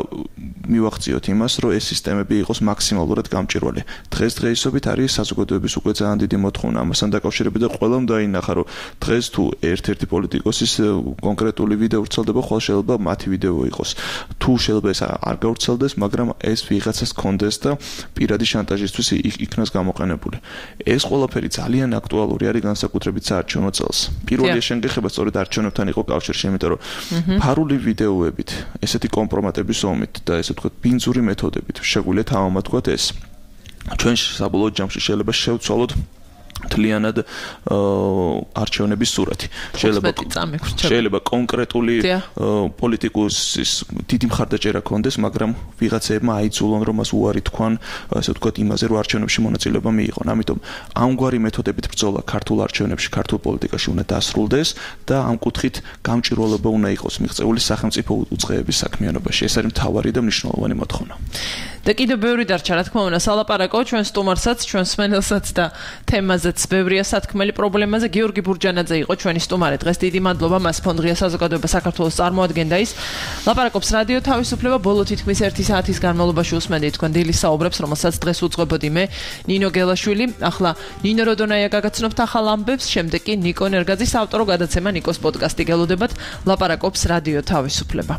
მივახციოთ იმას, რომ ეს სისტემები იყოს მაქსიმალურად გამჭირვალე. დღესდღეობით არის საზოგადოების უკვე ძალიან დიდი მოთხოვნა ამასთან დაკავშირებით და ყველამ დაინახა, რომ დღეს თუ ერთ-ერთი პოლიტიკოსის კონკრეტული ვიდეო ვრცელდება, ხოლმე შეიძლება მათი ვიდეო იყოს. თუ შეიძლება ეს არ გავრცელდეს, მაგრამ ეს ვიღაცას კონდეს და პირადი შანტაჟისთვის იქნას გამოყენებული. ეს ყველაფერი ძალიან აქტუალური არის განსაკუთრებით საარჩევნო წელს. პირველი შენგეხება სწორედ არჩევნებთან იყო კავშირში, იმიტომ რომ ფარული ვიდეოებით, ესეთი კომპრომატების ომით და ესე ვთქვათ ბინძური მეთოდებით შეგვიძლია თავამად თქვათ ეს ჩვენ საბოლოო ჯამში შეიძლება შევცვალოთ თლიანად არჩევნების სურათი. შეიძლება კონკრეტული პოლიტიკოსის დიდი მხარდაჭერა ქონდეს, მაგრამ ვიღაცეებმა აიძულონ, რომ მას უარი თქვან, ასე ვთქვათ, იმაზე, რომ არჩევნებში მონაწილეობა მიიღონ. ამიტომ ამგვარი მეთოდებით ბრძოლა ქართულ არჩევნებში, ქართულ პოლიტიკაში უნდა დასრულდეს და ამ კუთხით გამჭირვალობა უნდა იყოს მიღწეული სახელმწიფო უწყეების საქმიანობაში. ეს არის მთავარი და მნიშვნელოვანი მოთხოვნა. და კიდევ ბევრი დარჩა, რა თქმა უნდა, სალაპარაკო ჩვენ სტუმარსაც, ჩვენ სმენელსაც და თემაზეც ბევრია სათქმელი პრობლემაზე. გიორგი ბურჯანაძე იყო ჩვენი სტუმარი დღეს. დიდი მადლობა მას ფონდ ღია საზოგადოება საქართველოს წარმოადგენდა ის. ლაპარაკობს რადიო თავისუფლება, ბოლო თითქმის 1 საათის განმავლობაში უსმენდით თქვენ დილის საუბრებს, რომელსაც დღეს უძღვებოდი მე, ნინო გელაშვილი. ახლა ნინო როდონაია გაგაცნობთ ახალ ამბებს, შემდეგ კი ნიკო ნერგაძის ავტორო გადაცემა ნიკოს პოდკასტი გელოდებათ. ლაპარაკობს რადიო თავისუფლება.